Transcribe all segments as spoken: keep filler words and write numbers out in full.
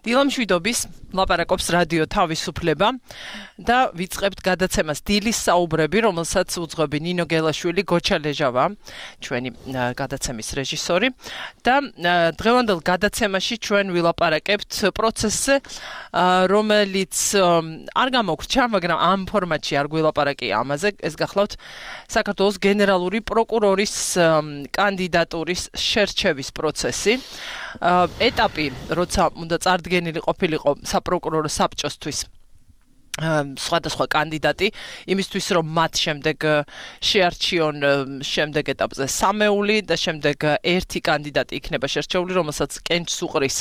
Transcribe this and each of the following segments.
დილამშვიდობის ლაპარაკობს რადიო თავისუფლება და ვიწყებთ გადაცემას დილის საუბრები, რომელსაც უძღვები ნინო გელაშვილი, გოჩა ლეჟავა, ჩვენი გადაცემის რეჟისორი და დღევანდელ გადაცემაში ჩვენ ვილაპარაკებთ პროცესზე, რომელიც არ გამოგვრჩა, მაგრამ ამ ფორმატში არ გვილაპარაკია ამაზე, ეს გახლავთ საქართველოს გენერალური პროკურორის კანდიდატურის შერჩევის პროცესი. ეტაპი, როცა უნდა წარდგენილი ყოფილიყო საპროკურორო საბჭოსთვის სხვადასხვა კანდიდატი, იმისთვის რომ მათ შემდეგ შეარჩიონ შემდეგ ეტაპზე სამეული და შემდეგ ერთი კანდიდატი იქნება შერჩეული, რომელსაც კენჭს უყრის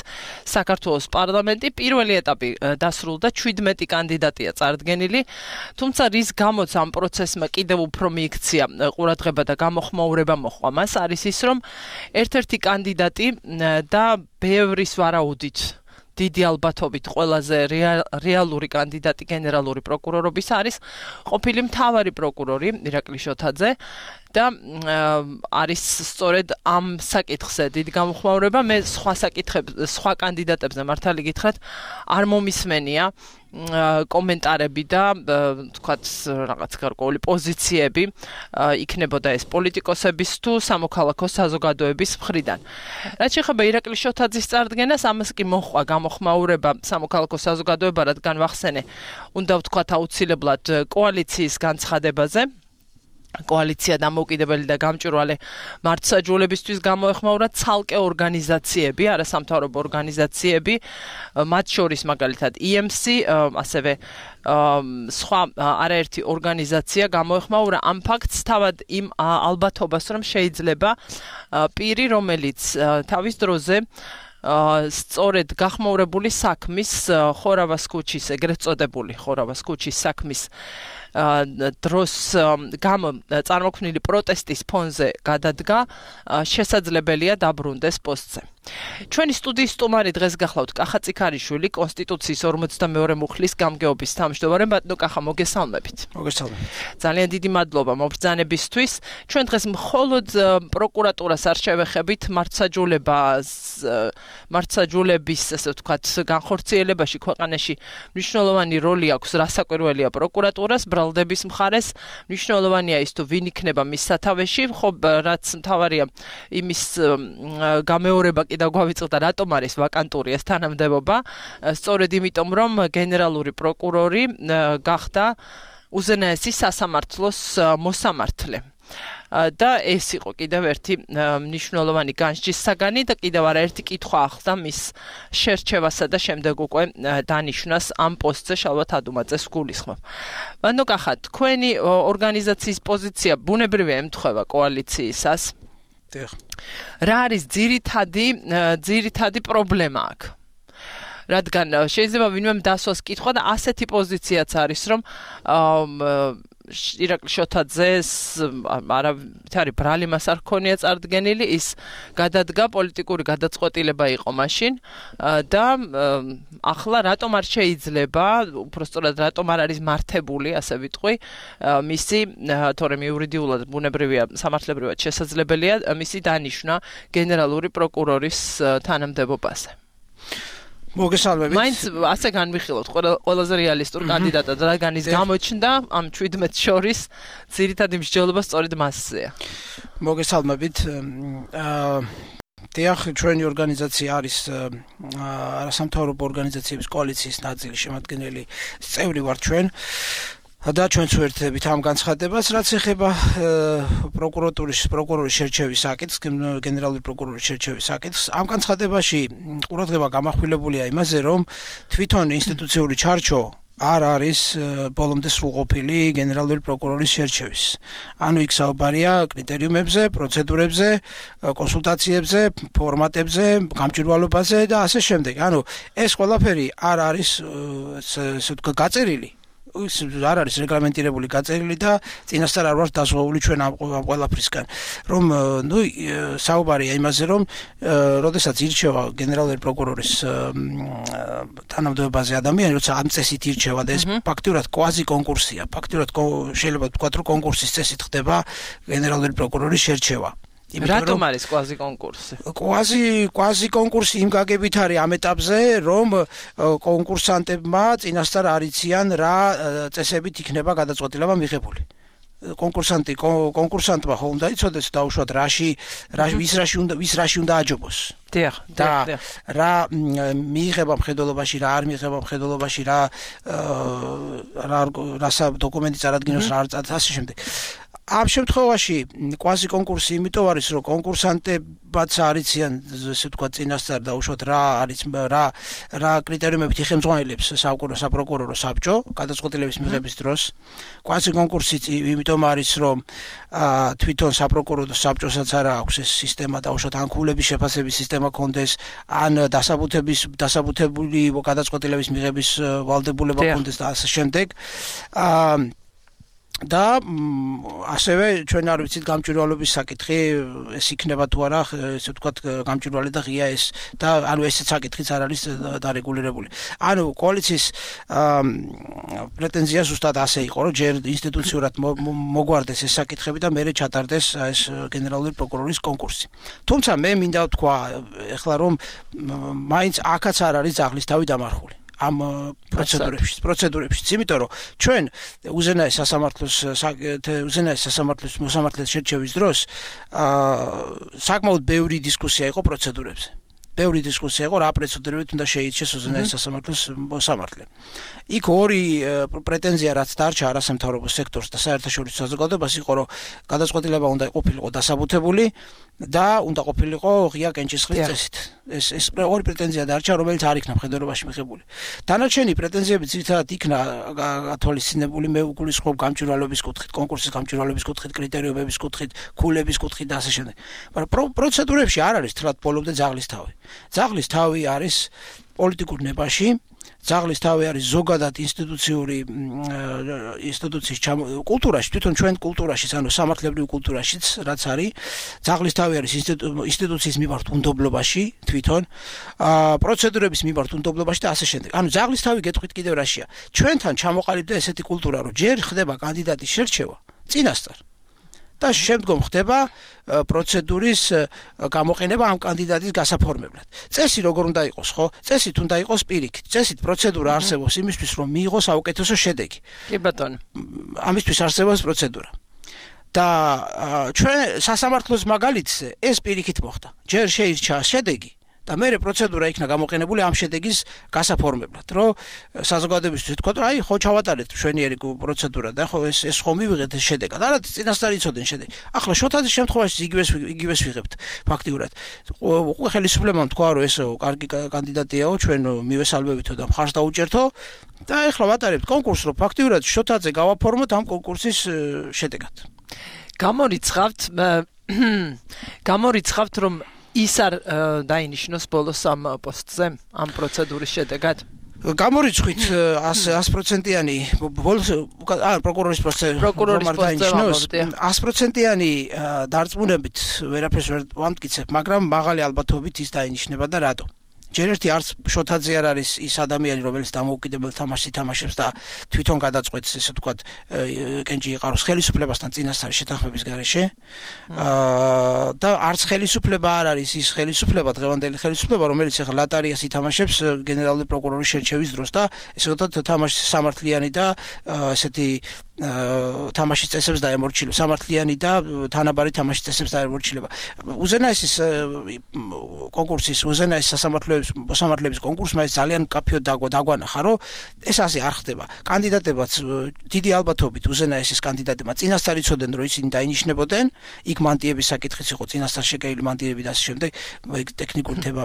საქართველოს პარლამენტი. პირველი ეტაპი დასრულდა, ჩვიდმეტი კანდიდატია წარდგენილი, თუმცა რის გამოც ამ პროცესმა კიდევ უფრო მიიქცია ყურადღება და გამოხმაურება მოჰყვა მას, არის ის, რომ ერთ-ერთი კანდიდატი და ბევრის ვარაუდით დიდი ალბათობით ყველაზე რეალური კანდიდატი გენერალური პროკურორობის არის ყოფილი მთავარი პროკურორი ირაკლი შოთაძე და არის სწორედ ამ საკითხზე დიდი გამოხმაურება. მე სხვა საკითხებზე, სხვა კანდიდატებზე მართალი გითხრათ, არ მომისმენია კომენტარები და თქვათ რაღაც გარკვეული პოზიციები იქნებოდა ეს პოლიტიკოსების თუ სამოქალაქო საზოგადოების მხრიდან. რაც შეეხება ირაკლი შოთაძის წარდგენას, ამას კი მოჰყვა გამოხმაურება სამოქალაქო საზოგადოება, რადგან ვახსენე, უნდა ვთქვათ აუცილებლად კოალიციის განცხადებაზე. კოალიცია დამოუკიდებელი და გამჭვირვალე მართლმსაჯულებისთვის გამოეხმაურა ცალკე ორგანიზაციები, არასამთავრობო ორგანიზაციები, მათ შორის მაგალითად ი ემ სი, ასევე სხვა არაერთი ორგანიზაცია გამოეხმაურა ამ ფაქტს, თავად იმ ალბათობას, რომ შეიძლება პირი, რომელიც თავის დროზე სწორედ გახმაურებული საქმის ხორავას ქუჩის, ეგრეთ წოდებული ხორავას ქუჩის საქმის დროს გამო წარმოქმნილი პროტესტის ფონზე გადადგა, შესაძლებელია დაბრუნდეს პოსტზე. ჩვენი სტუდიის სტუმარი დღეს გახლავთ კახა წიქარიშვილი, კონსტიტუციის ორმოცდამეორე მუხლის გამგეობის თავმჯდომარე. ბატონო კახა, მოგესალმებით. მოგესალმებით. ძალიან დიდი მადლობა მობრძანებისთვის. ჩვენ დღეს მხოლოდ პროკურატურას არ შევეხებით, მართლმსაჯულებას, მართლმსაჯულების, ასე ვთქვათ, განხორციელებაში ქვეყანაში მნიშვნელოვანი როლი აქვს, რასაკვირველია პროკურატურას, ბრალდების მხარეს, მნიშვნელოვანია ის თუ ვინ იქნება მის სათავეში, ხო, რაც მთავარია იმის გამეორება და გვავიწყდა, რატომ არის ვაკანტური ეს თანამდებობა, სწორედ იმიტომ, რომ გენერალური პროკურორი გახდა უზენაესი სასამართლოს მოსამართლე. და ეს იყო კიდევ ერთი მნიშვნელოვანი განსჯის საგანი და კიდევ არაერთი კითხვა ახლდა მის შერჩევასა და შემდეგ უკვე დანიშვნას ამ პოსტზე შალვა თადუმაძეს გულისხმობ. ბატონო კახა, თქვენი ორგანიზაციის პოზიცია ბუნებრივია ემთხვევა კოალიციისას. რა არის ძირითადი ძირითადი პრობლემა აქ? რადგან შეიძლება ვინმემ დასვას კითხვა და ასეთი პოზიციაც არის, რომ ირაკლი შოთაძეს არავითარი ბრალი მას არ ჰქონია წარდგენილი, ის გადადგა, პოლიტიკური გადაწყვეტილება იყო მაშინ და ახლა რატომ არ შეიძლება, უბრალოდ რატომ არ არის მართებული, ასე ვიტყვი, მისი, თორემ იურიდიულად ბუნებრივია, სამართლებრივად შესაძლებელია მისი დანიშვნა გენერალური პროკურორის თანამდებობაზე. მოგესალმებით. მაინც ასე განვიხილოთ ყველაზე რეალისტურ კანდიდატად, რადგან ის გამოჩნდა ამ ჩვიდმეტს შორის ძირითადი მსჯელობა სწორედ მასზეა. მოგესალმებით. დიახ, ჩვენი ორგანიზაცია არის არასამთავრობო ორგანიზაციების კოალიციის ნაწილი, შემადგენელი წევრი ვართ ჩვენ. და ჩვენც ვერთდებით ამ განცხადებას, რაც ეხება პროკურატურის პროკურორის შერჩევის საკითხს, გენერალური პროკურორის შერჩევის საკითხს. ამ განცხადებაში ყურადღება გამახვილებულია იმაზე, რომ თვითონ ინსტიტუციური ჩარჩო არ არის ბოლომდე სრულყოფილი გენერალური პროკურორის შერჩევის. ანუ იქ საუბარია კრიტერიუმებზე, პროცედურებზე, კონსულტაციებზე, ფორმატებზე, გამჭვირვალობაზე და ასე შემდეგ. ანუ ეს ყველაფერი არ არის ესე ვთქვათ გაწერილი. არ არის რეგლამენტირებული გაწერილი და წინასწარ არ ვართ დასვეული ჩვენ ამ ყველაფრისგან. რომ ნუ საუბარია იმაზე, რომ როდესაც ირჩევა გენერალური პროკურორის თანამდებობაზე ადამიანი, როცა ამ წესით ირჩევა და ეს ფაქტურად კვაზი კონკურსია, ფაქტურად შეიძლება ვთქვათ, რომ კონკურსის წესით ხდება გენერალური პროკურორის შერჩევა. რატომ არის კვაზი კონკურსი? კვაზი კვაზი კონკურსი იმ გაგებით არის ამ ეტაპზე, რომ კონკურსანტებმა წინასწარ არ იციან რა წესებით იქნება გადაწყვეტილება მიღებული. კონკურსანტი კონკურსანტმა ხო უნდა იცოდეს დაუშვათ რაში ვის რაში უნდა ვის რაში უნდა აჯობოს. დიახ, და რა მიიღება მხედველობაში, რა არ მიიღება მხედველობაში, რა რა რასა დოკუმენტი წარადგინოს, რა არ წარდგინოს, ასე შემდეგ. ამ შემთხვევაში კვაზი კონკურსი იმიტომ არის, რომ კონკურსანტებაც არ იციან, ესე ვთქვათ, წინასწარ დაუშვათ რა არის რა რა კრიტერიუმებით იხელმძღვანელებს საპროკურორო საბჭო გადაწყვეტილების მიღების დროს. კვაზი კონკურსი იმიტომ არის, რომ თვითონ საპროკურორო საბჭოსაც არ აქვს ეს სისტემა დაუშვათ ან ქულების შეფასების სისტემა კონდეს, ან დასაბუთების დასაბუთებული გადაწყვეტილების მიღების ვალდებულება კონდეს და ასე შემდეგ. აა და ასევე ჩვენ არ ვიცით გამჭვირვალობის საკითხი ეს იქნება თუ არა ესე ვთქვათ გამჭვირვალე და ღია ეს და ანუ ესეც საკითხიც არ არის დარეგულირებული. ანუ კოალიციის პრეტენზია ზუსტად ასე იყო, რომ ჯერ ინსტიტუციურად მოგვარდეს ეს საკითხები და მერე ჩატარდეს ეს გენერალური პროკურორის კონკურსი. თუმცა მე მინდა ვთქვა ეხლა რომ მაინც აქაც არ არის ძაღლისთავი დამარხული. ამ პროცედურებში, პროცედურებში, იმიტომ რომ ჩვენ უზენაეს სასამართლოს უზენაეს სასამართლოს მოსამართლეს შერჩევის დროს აა საკმაოდ ბევრი დისკუსია იყო პროცედურებზე. ბევრი დისკუსია იყო რა პროცედურებით უნდა შეიცეს უზენაეს სასამართლოს მოსამართლე. იქ ორი პრეტენზია რაც დარჩა არასამთავრობო სექტორს და საერთაშორისო საზოგადოებას იყო, რომ გადაწყვეტილება უნდა ყოფილიყო დასაბუთებული და უნდა ყოფილიყო ღია კენჭისყრის წესით. ეს ეს ორი პრეტენზია დარჩა, რომელიც არ იქნა მხედველობაში მიღებული. დანარჩენი პრეტენზიები ძირითადად იქნა გათვალისწინებული მე უგულისხმობ გამჭვირვალობის კუთხით, კონკურსის გამჭვირვალობის კუთხით, კრიტერიუმების კუთხით, ქულების კუთხით და ასე შემდეგ. მაგრამ პროცედურებში არ არის თლად ბოლომდე ძაღლის თავი. ძაღლის თავი არის პოლიტიკურ ნებაში, ძაღლის თავი არის ზოგადად ინსტიტუციური ინსტიტუციის კულტურაში, თვითონ ჩვენ კულტურაშიც, ანუ სამართლებრივ კულტურაშიც, რაც არის, ძაღლის თავი არის ინსტიტუციის მიმართ უნდობლობაში, თვითონ პროცედურების მიმართ უნდობლობაში და ასე შემდეგ. ანუ ძაღლის თავი გეტყვით კიდევ რაშია. ჩვენთან ჩამოყალიბდა ესეთი კულტურა, რომ ჯერ ხდება კანდიდატის შერჩევა წინასწარ და შემდგომ ხდება პროცედურის გამოყენება ამ კანდიდატის გასაფორმებლად. წესი როგორ უნდა იყოს, ხო? წესით უნდა იყოს პირიქით. წესით პროცედურა არსებობს იმისთვის, რომ მიიღოს საუკეთესო შედეგი. კი ბატონო. ამისთვის არსებობს პროცედურა. და ჩვენ სასამართლოს მაგალითზე ეს პირიქით მოხდა. ჯერ შეირჩა შედეგი და მერე პროცედურა იქნა გამოყენებული ამ შედეგის გასაფორმებლად, რომ საზოგადოებისთვის თქვა, რომ აი ხო ჩავატარეთ მშვენიერი პროცედურა და ხო ეს ეს ხო მივიღეთ ეს შედეგად. არა წინასწარ იცოდნენ შედეგი. ახლა შოთაძის შემთხვევაში იგივეს იგივეს ვიღებთ ფაქტიურად. უკვე ხელისუფლებამ თქვა, რომ ეს კარგი კანდიდატიაო, ჩვენ მივესალმევითო და მხარს დაუჭერთო და ახლა ვატარებთ კონკურსს, რომ ფაქტიურად შოთაძე გავაფორმოთ ამ კონკურსის შედეგად. გამორიცხავთ გამორიცხავთ რომ ის არ დაინიშნოს ბოლოს ამ პოსტზე, ამ პროცედურის შედეგად? გამორიცხვით ას პროცენტიანი ბოლოს ან პროკურორის პოსტზე პროკურორის დაინიშნოს ას პროცენტიანი დარწმუნებით ვერაფერს ვერ ვამტკიცებ, მაგრამ მაღალი ალბათობით ის დაინიშნება და რატო? ჯერ ერთი არც შოთაძე არ არის ის ადამიანი, რომელიც დამოუკიდებელ თამაშს ითამაშებს და თვითონ გადაწყვეტს, ესე ვთქვათ, კენჭი იყაროს ხელისუფლებასთან წინასწარი შეთანხმების გარეშე. აა და არც ხელისუფლება არ არის ის ხელისუფლება, დღევანდელი ხელისუფლება, რომელიც ახლა ლატარიას ითამაშებს გენერალური პროკურორის შერჩევის დროს და ესე ვთქვათ, თამაშის სამართლიანი და ესეთი თამაშის წესებს დაემორჩილება, სამართლიანი და თანაბარი თამაშის წესებს დაემორჩილება. უზენაესის კონკურსის, უზენაეს სასამართლოების მოსამართლეების კონკურსმა ეს ძალიან კაფეოდ დაგვანახა, რომ ეს ასე არ ხდება. კანდიდატებაც დიდი ალბათობით უზენაესის კანდიდატებმა წინასწარ იცოდნენ, რომ ისინი დაინიშნებოდნენ, იქ მანტიების საკითხიც იყო, წინასწარ შეკრებილი მანტიები და ასე შემდეგ, იქ ტექნიკური თემა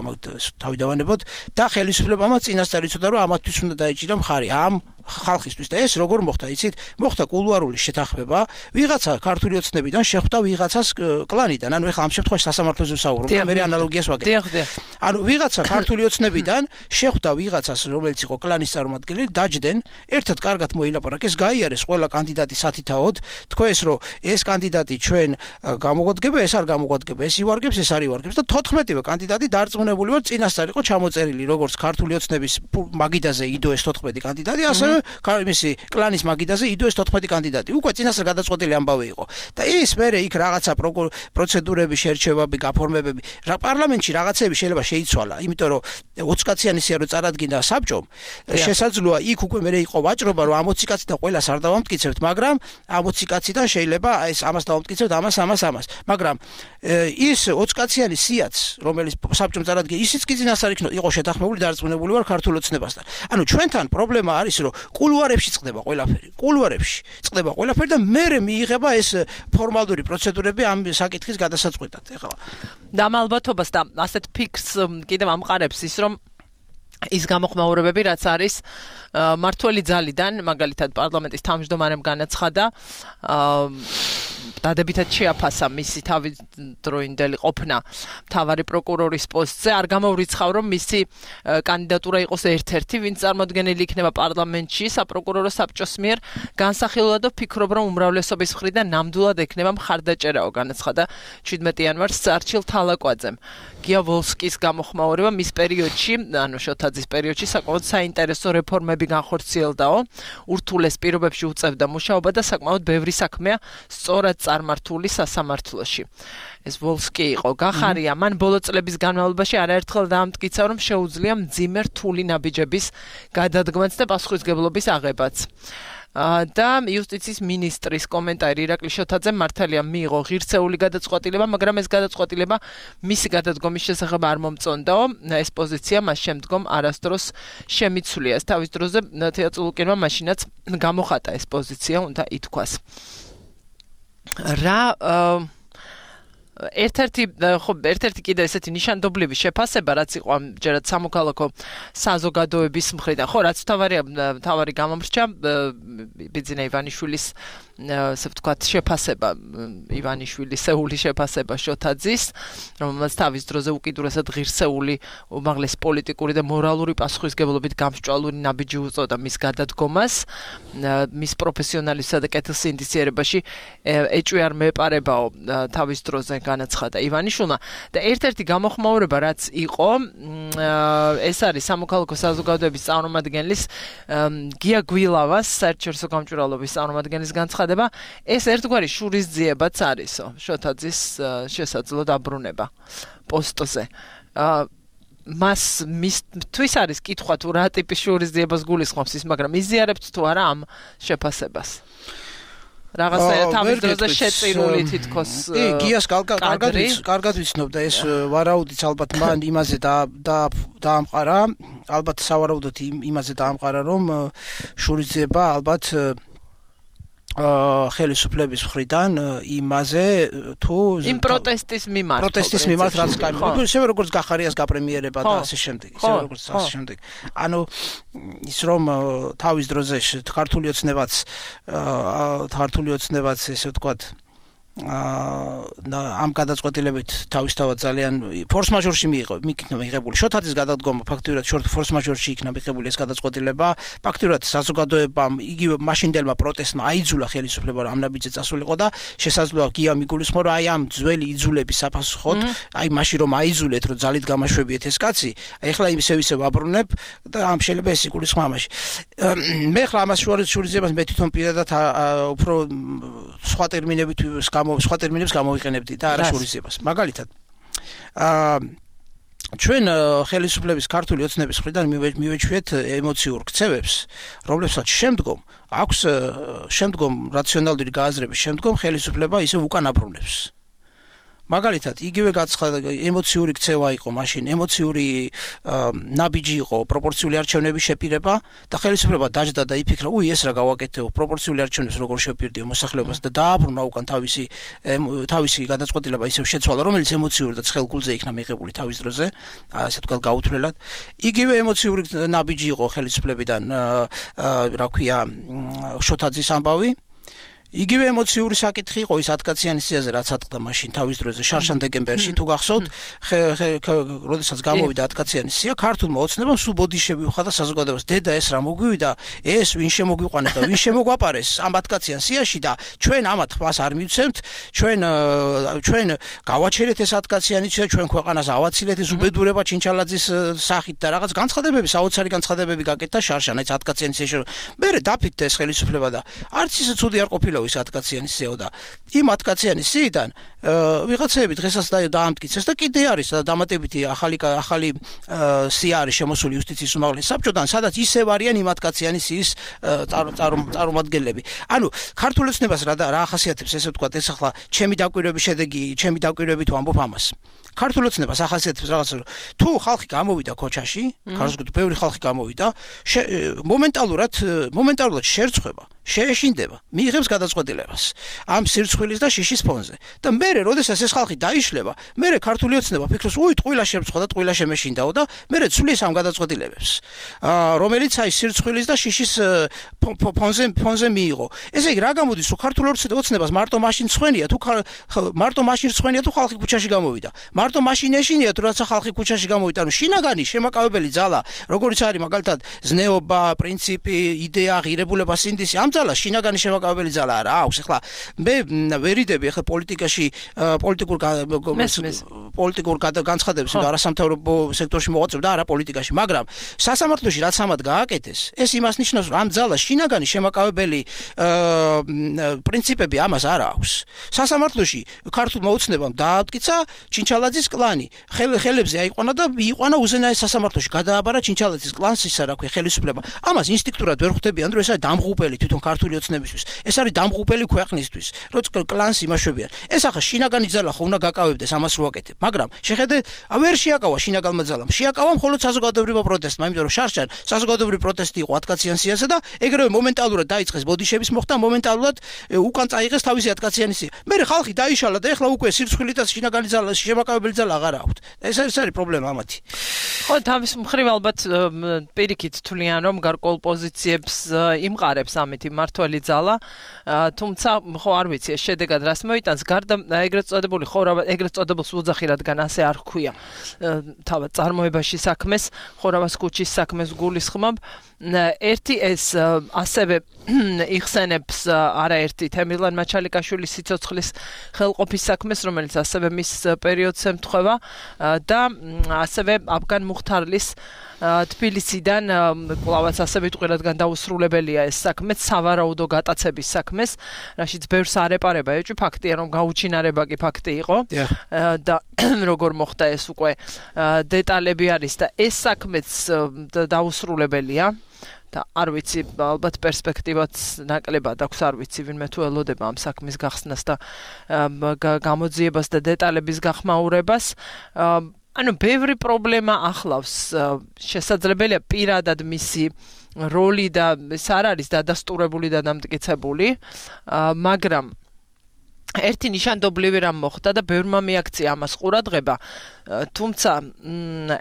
თავი დავანებოთ და ხელისუფლებამ წინასწარ იცოდა, რომ ამათთვის უნდა დაიჭირა მხარი ამ ხალხისთვის და ეს როგორ მოხდა, იცით? მოხდა კულუარული შეთანხმება, ვიღაცა ქართული ოცნებიდან შეხვდა ვიღაცას კლანიდან, ანუ ეხლა ამ შემთხვევაში სასამართლოზე ვსაუბრობ, მე ანალოგიას ვაკეთებ. ანუ ვიღაცა ქართული ოცნებიდან შეხვდა ვიღაცას, რომელიც იყო კლანის წარმომადგენელი, დაჯდნენ, ერთად კარგად მოილაპარაკეს, გაიარეს ყველა კანდიდატი სათითაოდ, თქვეს, რომ ეს კანდიდატი ჩვენ გამოგვადგება, ეს არ გამოგვადგება, ეს ივარგებს, ეს არ ივარგებს და თოთხმეტივე კანდიდატი დარწმუნებული ვარ, წინასწარ იყო ჩამოწერილი, როგორც ქართული ოცნების მაგიდაზე იდო ეს თოთხმეტი კანდიდატი, ასევე მისი კლანის მაგიდაზე იდოეს თოთხმეტი კანდიდატი. უკვე წინასწარ გადაწყვეტილი ამბავი იყო. და ის მერე იქ რაღაცა პროცედურები, შერჩევები, გაფორმებები, რა პარლამენტში რაღაცები შეიძლება შეიცვალა, იმიტომ რომ ოცი კაციანი სია რო წარადგინა საბჭომ, შესაძლოა იქ უკვე მერე იყო ვაჭრობა, რომ ამ ოცი კაციდან ყველას არ დავამტკიცებთ, მაგრამ ამ ოცი კაციდან შეიძლება ეს ამას დავამტკიცებთ, ამას, ამას, ამას. მაგრამ ის ოცი კაციანი სიაც, რომელიც საბჭომ წარადგინა, ისიც კი წინასწარ იყო შეთანხმებული, დარწმუნებული ვარ ქართულ ოცნებასთან. ანუ ჩვენთან პრობლემა არის, რომ კულუარებში წყდება ყველაფერი. კულუარებში წყდება ყველაფერი და მერე მიიღება ეს ფორმალური პროცედურები ამ საკითხის გადასაწყვეტად. ეხლა და ალბათობას და ასეთ ფიქრს კიდევ ამყარებს ის, რომ ის გამოხმაურებები, რაც არის მართველი ძალიდან, მაგალითად პარლამენტის თავმჯდომარემ განაცხადა, დადებითად შეაფასა მისი თავდროინდელი ყოფნა მთავარი პროკურორის პოსტზე, არ გამოვრიცხავ, რომ მისი კანდიდატურა იყოს ერთ-ერთი, ვინც წარმოდგენილი იქნება პარლამენტში საპროკურორო საბჭოს მიერ, განსახილულად ვფიქრობ, რომ უმრავლესობის მხრიდან ნამდვილად ექნება მხარდაჭერაო, განაცხადა შვიდმეტი იანვარს არჩილ თალაკვაძემ. გია ვოლსკის გამოხმაურება მის პერიოდში, ანუ შოთაძის პერიოდში საკმაოდ საინტერესო რეფორმები განხორციელდაო, ურთულეს პირობებში უწევდა მუშაობა და საკმაოდ ბევრი საქმეა სწორად წარმართული სასამართლოში. ეს ვოლსკი იყო გახარია, მან ბოლო წლების განმავლობაში არაერთხელ დაამტკიცა, რომ შეუძლია მძიმე რთული ნაბიჯების გადადგმაც და პასუხისმგებლობის აღებაც. და იუსტიციის მინისტრის კომენტარი ირაკლი შოთაძემ მართალია მიიღო ღირსეული გადაწყვეტილება, მაგრამ ეს გადაწყვეტილება მისი გადადგომის შესახებ არ მომწონდაო, ეს პოზიცია მას შემდგომ არასდროს შემიცვლია. ეს თავის დროზე თეატრულკინმა მაშინაც გამოხატა ეს პოზიცია, უნდა ითქვას. რა ერთ-ერთი ხო ერთ-ერთი კიდე ესეთი ნიშანდობლივი შეფასება, რაც იყო ამჯერად სამოქალაქო საზოგადოების მხრიდან, ხო, რაც თავარია თავარი გამომრჩა ბიძინა ივანიშვილის ასე ვთქვათ შეფასება, ივანიშვილისეული შეფასება შოთაძის, რომელსაც თავის დროზე უკიდურესად ღირსეული, უმაღლესი პოლიტიკური და მორალური პასუხისმგებლობით გამსჭვალული ნაბიჯი უწოდა მის გადადგომას, მის პროფესიონალიზმსა და კეთილსინდისიერებაში ეჭვი არ მეპარებაო თავის დროზე განაცხადა ივანიშვილმა და ერთ-ერთი გამოხმაურება, რაც იყო, ეს არის სამოქალაქო საზოგადოების წარმომადგენლის გია გვილავას, საერთაშორისო გამჭვირვალობის წარმომადგენლის განცხადება, ეს ერთგვარი შურისძიებაც არისო, შოთაძის შესაძლო დაბრუნება პოსტზე. მას მისთვის არის კითხვა თუ რა ტიპის შურისძიებას გულისხმობს ის, მაგრამ იზიარებთ თუ არა ამ შეფასებას. რაღაცა თავის დროზე შეწირული თითქოს კი, გიას კარგად კარგად ვიცნობ და ეს ვარაუდიც ალბათ მან იმაზე დაამყარა, ალბათ სავარაუდოდ იმაზე დაამყარა, რომ შურისძიება ალბათ ხელისუფლების მხრიდან იმაზე თუ იმ პროტესტის მიმართ პროტესტის მიმართ რაც გამიგო ისე როგორც გახარიას გაპრემიერება და ასე შემდეგ ისე როგორც ასე შემდეგ ანუ ის რომ თავის დროზე ქართული ოცნებაც ქართული ოცნებაც ესე ვთქვათ ამ გადაწყვეტილებით თავისთავად ძალიან ფორს მაჟორში მიიღო მიღებული შოთაძის გადადგომა ფაქტურად ფორს მაჟორში იქნა მიღებული ეს გადაწყვეტილება ფაქტურად საზოგადოებამ იგივე მაშინდელმა პროტესტმა აიძულა ხელისუფლება რომ ამ ნაბიჯზე წასულიყო და შესაძლოა გია მიგულისხმო რომ აი ამ ძველი იძულების საფასუხოდ აი მაშინ რომ აიძულეთ რომ ძალით გამაშვებიეთ ეს კაცი ეხლა ისევ ისევ აბრუნებ და ამ შეიძლება ეს იგულისხმო ამაში მე ხლა ამას შურისძიებას მე თვითონ პირადად უფრო სხვა ტერმინებით სხვა ტერმინებს გამოვიყენებდი და არა შურისძიებას. მაგალითად, აა ჩვენ ხელისუფლების ქართული ოცნების მხრიდან მივეჩვიეთ ემოციურ ქცევებს, რომლებსაც შემდგომ აქვს შემდგომ რაციონალური გააზრების შემდგომ ხელისუფლება ისე უკან აბრუნებს. მაგალითად, იგივე გაცხადა ემოციური ქცევა იყო მაშინ, ემოციური ნაბიჯი იყო პროპორციული არჩევნების შეპირება და ხელისუფლება დაჯდა და იფიქრა, უი ეს რა გავაკეთეო, პროპორციული არჩევნებს როგორ შევპირდიო მოსახლეობას და დააბრუნა უკან თავისი თავისი გადაწყვეტილება ისევ შეცვალა, რომელიც ემოციური და ცხელგულზე იქნა მიღებული თავის დროზე, ასე ვთქვათ გაუთვლელად. იგივე ემოციური ნაბიჯი იყო ხელისუფლებიდან, რა ქვია, შოთაძის ამბავი. იგივე ემოციური საკითხი იყო ის ათკაციანი სიაზე, რაც ატყდა მაშინ თავის დროზე შარშან დეკემბერში, თუ გახსოვთ, როდესაც გამოვიდა ათკაციანი სია, ქართულმა ოცნებამ სულ ბოდიშები უხადა საზოგადოებას. დედა ეს რა მოგვივიდა, ეს ვინ შემოგვიყვანეს და ვინ შემოგვაპარეს ამ ათკაციან სიაში და ჩვენ ამათ ხმას არ მივცემთ, ჩვენ ჩვენ გავაჩერეთ ეს ათკაციანი სია, ჩვენ ქვეყანას ავაცილეთ ეს უბედურება ჩინჩალაძის სახით და რაღაც განცხადებები, საოცარი განცხადებები გაკეთდა შარშან ეს ათკაციანი სიაში. მერე დაფიქრდა ეს ხელისუფლება და არც ისე ცუდი არ ყოფილა ის ათკაციანი სიაო და იმ ათკაციანი სიიდან ვიღაცები დღესაც დაამტკიცეს და კიდე არის დამატებითი ახალი ახალი სია არის შემოსული იუსტიციის უმაღლეს საბჭოდან, სადაც ისევ არიან იმ ათკაციანი სიის წარმომადგენლები. ანუ ქართულ ოცნებას რა რა ახასიათებს ესე ვთქვათ, ეს ახლა ჩემი დაკვირვების შედეგი, ჩემი დაკვირვებით ვამბობ ამას. ქართულ ოცნებას ახასიათებს რაღაც თუ ხალხი გამოვიდა ქოჩაში, ქართულად ბევრი ხალხი გამოვიდა, მომენტალურად მომენტალურად შერცხვება, შეეშინდება, მიიღებს გადაწყვეტილებას ამ სირცხვილის და შიშის ფონზე. და მერე, როდესაც ეს ხალხი დაიშლება, მერე ქართული ოცნება ფიქრობს, უი, ტყუილა შემწყვა და ტყუილა შემეშინდაო და მერე ცვლის ამ გადაწყვეტილებებს, რომელიც აი სირცხვილის და შიშის ფონზე ფონზე მიიღო. ესე იგი, რა გამოდის, რომ ქართულ ოცნებას მარტო მაშინ ცხენია, თუ მარტო მაშინ ცხენია, თუ ხალხი ქუჩაში გამოვიდა. მარტო მაშინ ეშინია, თუ რაცა ხალხი ქუჩაში გამოვიდა, ანუ შინაგანი შემაკავებელი ძალა, როგორც არის მაგალითად ზნეობა, პრინციპი, იდეა, ღირებულება, სინდისი, ამ ძალა შინაგანი შემაკავებელი ძალა არა აქვს. ეხლა მე ვერიდები ეხლა პოლიტიკაში პოლიტიკურ პოლიტიკურ განცხადებებს და არასამთავრობო სექტორში მოღვაწებ და არა პოლიტიკაში, მაგრამ სასამართლოში რაც ამად გააკეთეს, ეს იმას ნიშნავს, რომ ამ ძალას შინაგანი შემაკავებელი პრინციპები ამას არ აქვს. სასამართლოში ქართულმა ოცნებამ დაამტკიცა ჩინჩალაძის კლანი, ხელებზე აიყვანა და მიიყვანა უზენაეს სასამართლოში, გადააბარა ჩინჩალაძის კლანს, ისა რა ქვია, ხელისუფლება. ამას ინსტინქტურად ვერ ხვდებიან, რომ ეს არის დამღუპელი თვითონ ქართული ოცნებისთვის. ეს არის დამღუპელი ქვეყნისთვის, როცა კლანს იმაშვებიან. ეს ახლა შინაგანი ძალა ხო უნდა გაკავებდეს ამას რო აკეთებ, მაგრამ შეხედე, ვერ შეაკავა შინაგანმა ძალამ. შეაკავა მხოლოდ საზოგადოებრივ პროტესტმა, იმიტომ რომ შარშან საზოგადოებრივი პროტესტი იყო ათკაციან სიაზე და ეგრევე მომენტალურად დაიწყეს ბოდიშების მოხდა, მომენტალურად უკან წაიღეს თავისი ათკაციანი სია. მერე ხალხი დაიშალა და ეხლა უკვე სირცხვილით და შინაგანი ძალა, შემაკავებელი ძალა აღარ აქვთ. ეს ეს არის პრობლემა ამათი. ხო, თავის მხრივ ალბათ პირიქით თვლიან, რომ გარკვეულ პოზიციებს იმყარებს ამით მმართველი ძალა, თუმცა ხო არ ვიცი ეს შედეგად რას მოიტანს, გარდა ეგრეთ წოდებული ხო ეგრეთ წოდებულს უძახი, რადგან ასე არ ჰქვია თავად წარმოებაში საქმეს, ხორავას ქუჩის საქმეს გულისხმობ. ერთი ეს ასევე იხსენებს არაერთი თემილან მაჩალიკაშვილის სიცოცხლის ხელყოფის საქმეს, რომელიც ასევე მის პერიოდს ემთხვევა და ასევე აფგან მუხთარლის თბილისიდან კლავაც ასევე ტყუილადგან დაუსრულებელია ეს საქმე, სავარაუდო გატაცების საქმეს, რაშიც ბევრს არ ეპარება. ეჭვი ფაქტია, რომ გაუჩინარება კი ფაქტი იყო და როგორ მოხდა ეს უკვე დეტალები არის და ეს საქმეც დაუსრულებელია. და არ ვიცი, ალბათ პერსპექტივაც ნაკლებად აქვს, არ ვიცი, ვინმე თუ ელოდება ამ საქმის გახსნას და გამოძიებას და დეტალების გახმაურებას. ანუ ბევრი პრობლემა ახლავს, შესაძლებელია პირადად მისი როლი და ეს არ არის დადასტურებული და დამტკიცებული, მაგრამ ერთი ნიშანდობლივი რამ მოხდა და ბევრმა მიაქცია ამას ყურადღება, თუმცა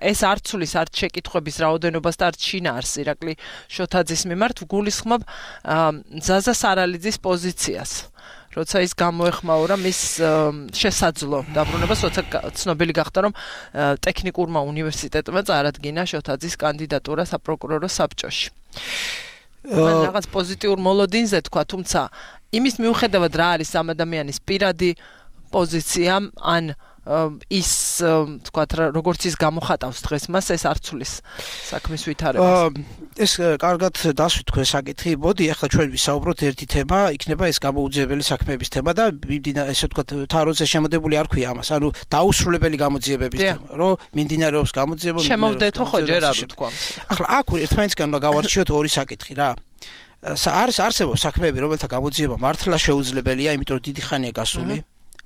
ეს არ ცulis არც შეკითხვების რაოდენობას და არც შინაარს ირაკლი შოთაძის მიმართ გულისხმობ ზაზა სარალიძის პოზიციას. როცა ის გამოეხმაურა მის შესაძლო დაბრუნებას, როცა ცნობილი გახდა, რომ ტექნიკურმა უნივერსიტეტმა წარადგინა შოთაძის კანდიდატურა საპროკურორო საბჭოში. მან რაღაც პოზიტიურ მოლოდინზე თქვა, თუმცა იმის მიუხედავად რა არის ამ ადამიანის პირადი პოზიცია, ან ის თქვათ როგორც ის გამოხატავს დღეს მას, ეს არ ცulis საქმის ვითარებას. ეს კარგად დასვით თქვენ საკითხი. მოდი ახლა ჩვენ ვისაუბროთ ერთი თემა, იქნება ეს გამოუძიებელი საქმეების თემა და ესე ვთქვათ თაროზე შემოდებული არ ქვია ამას, ანუ დაუსრულებელი გამოძიებების თემა, რომ მიმდინარეობს გამოძიება. შემოვდეთო ხო ჯერ არ ვთქვა. ახლა აქ ერთმანეთისგან უნდა გავარჩიოთ ორი საკითხი რა. არის არსებობს საქმეები, რომელთა გამოძიება მართლა შეუძლებელია, იმიტომ რომ დიდი ხანია გასული.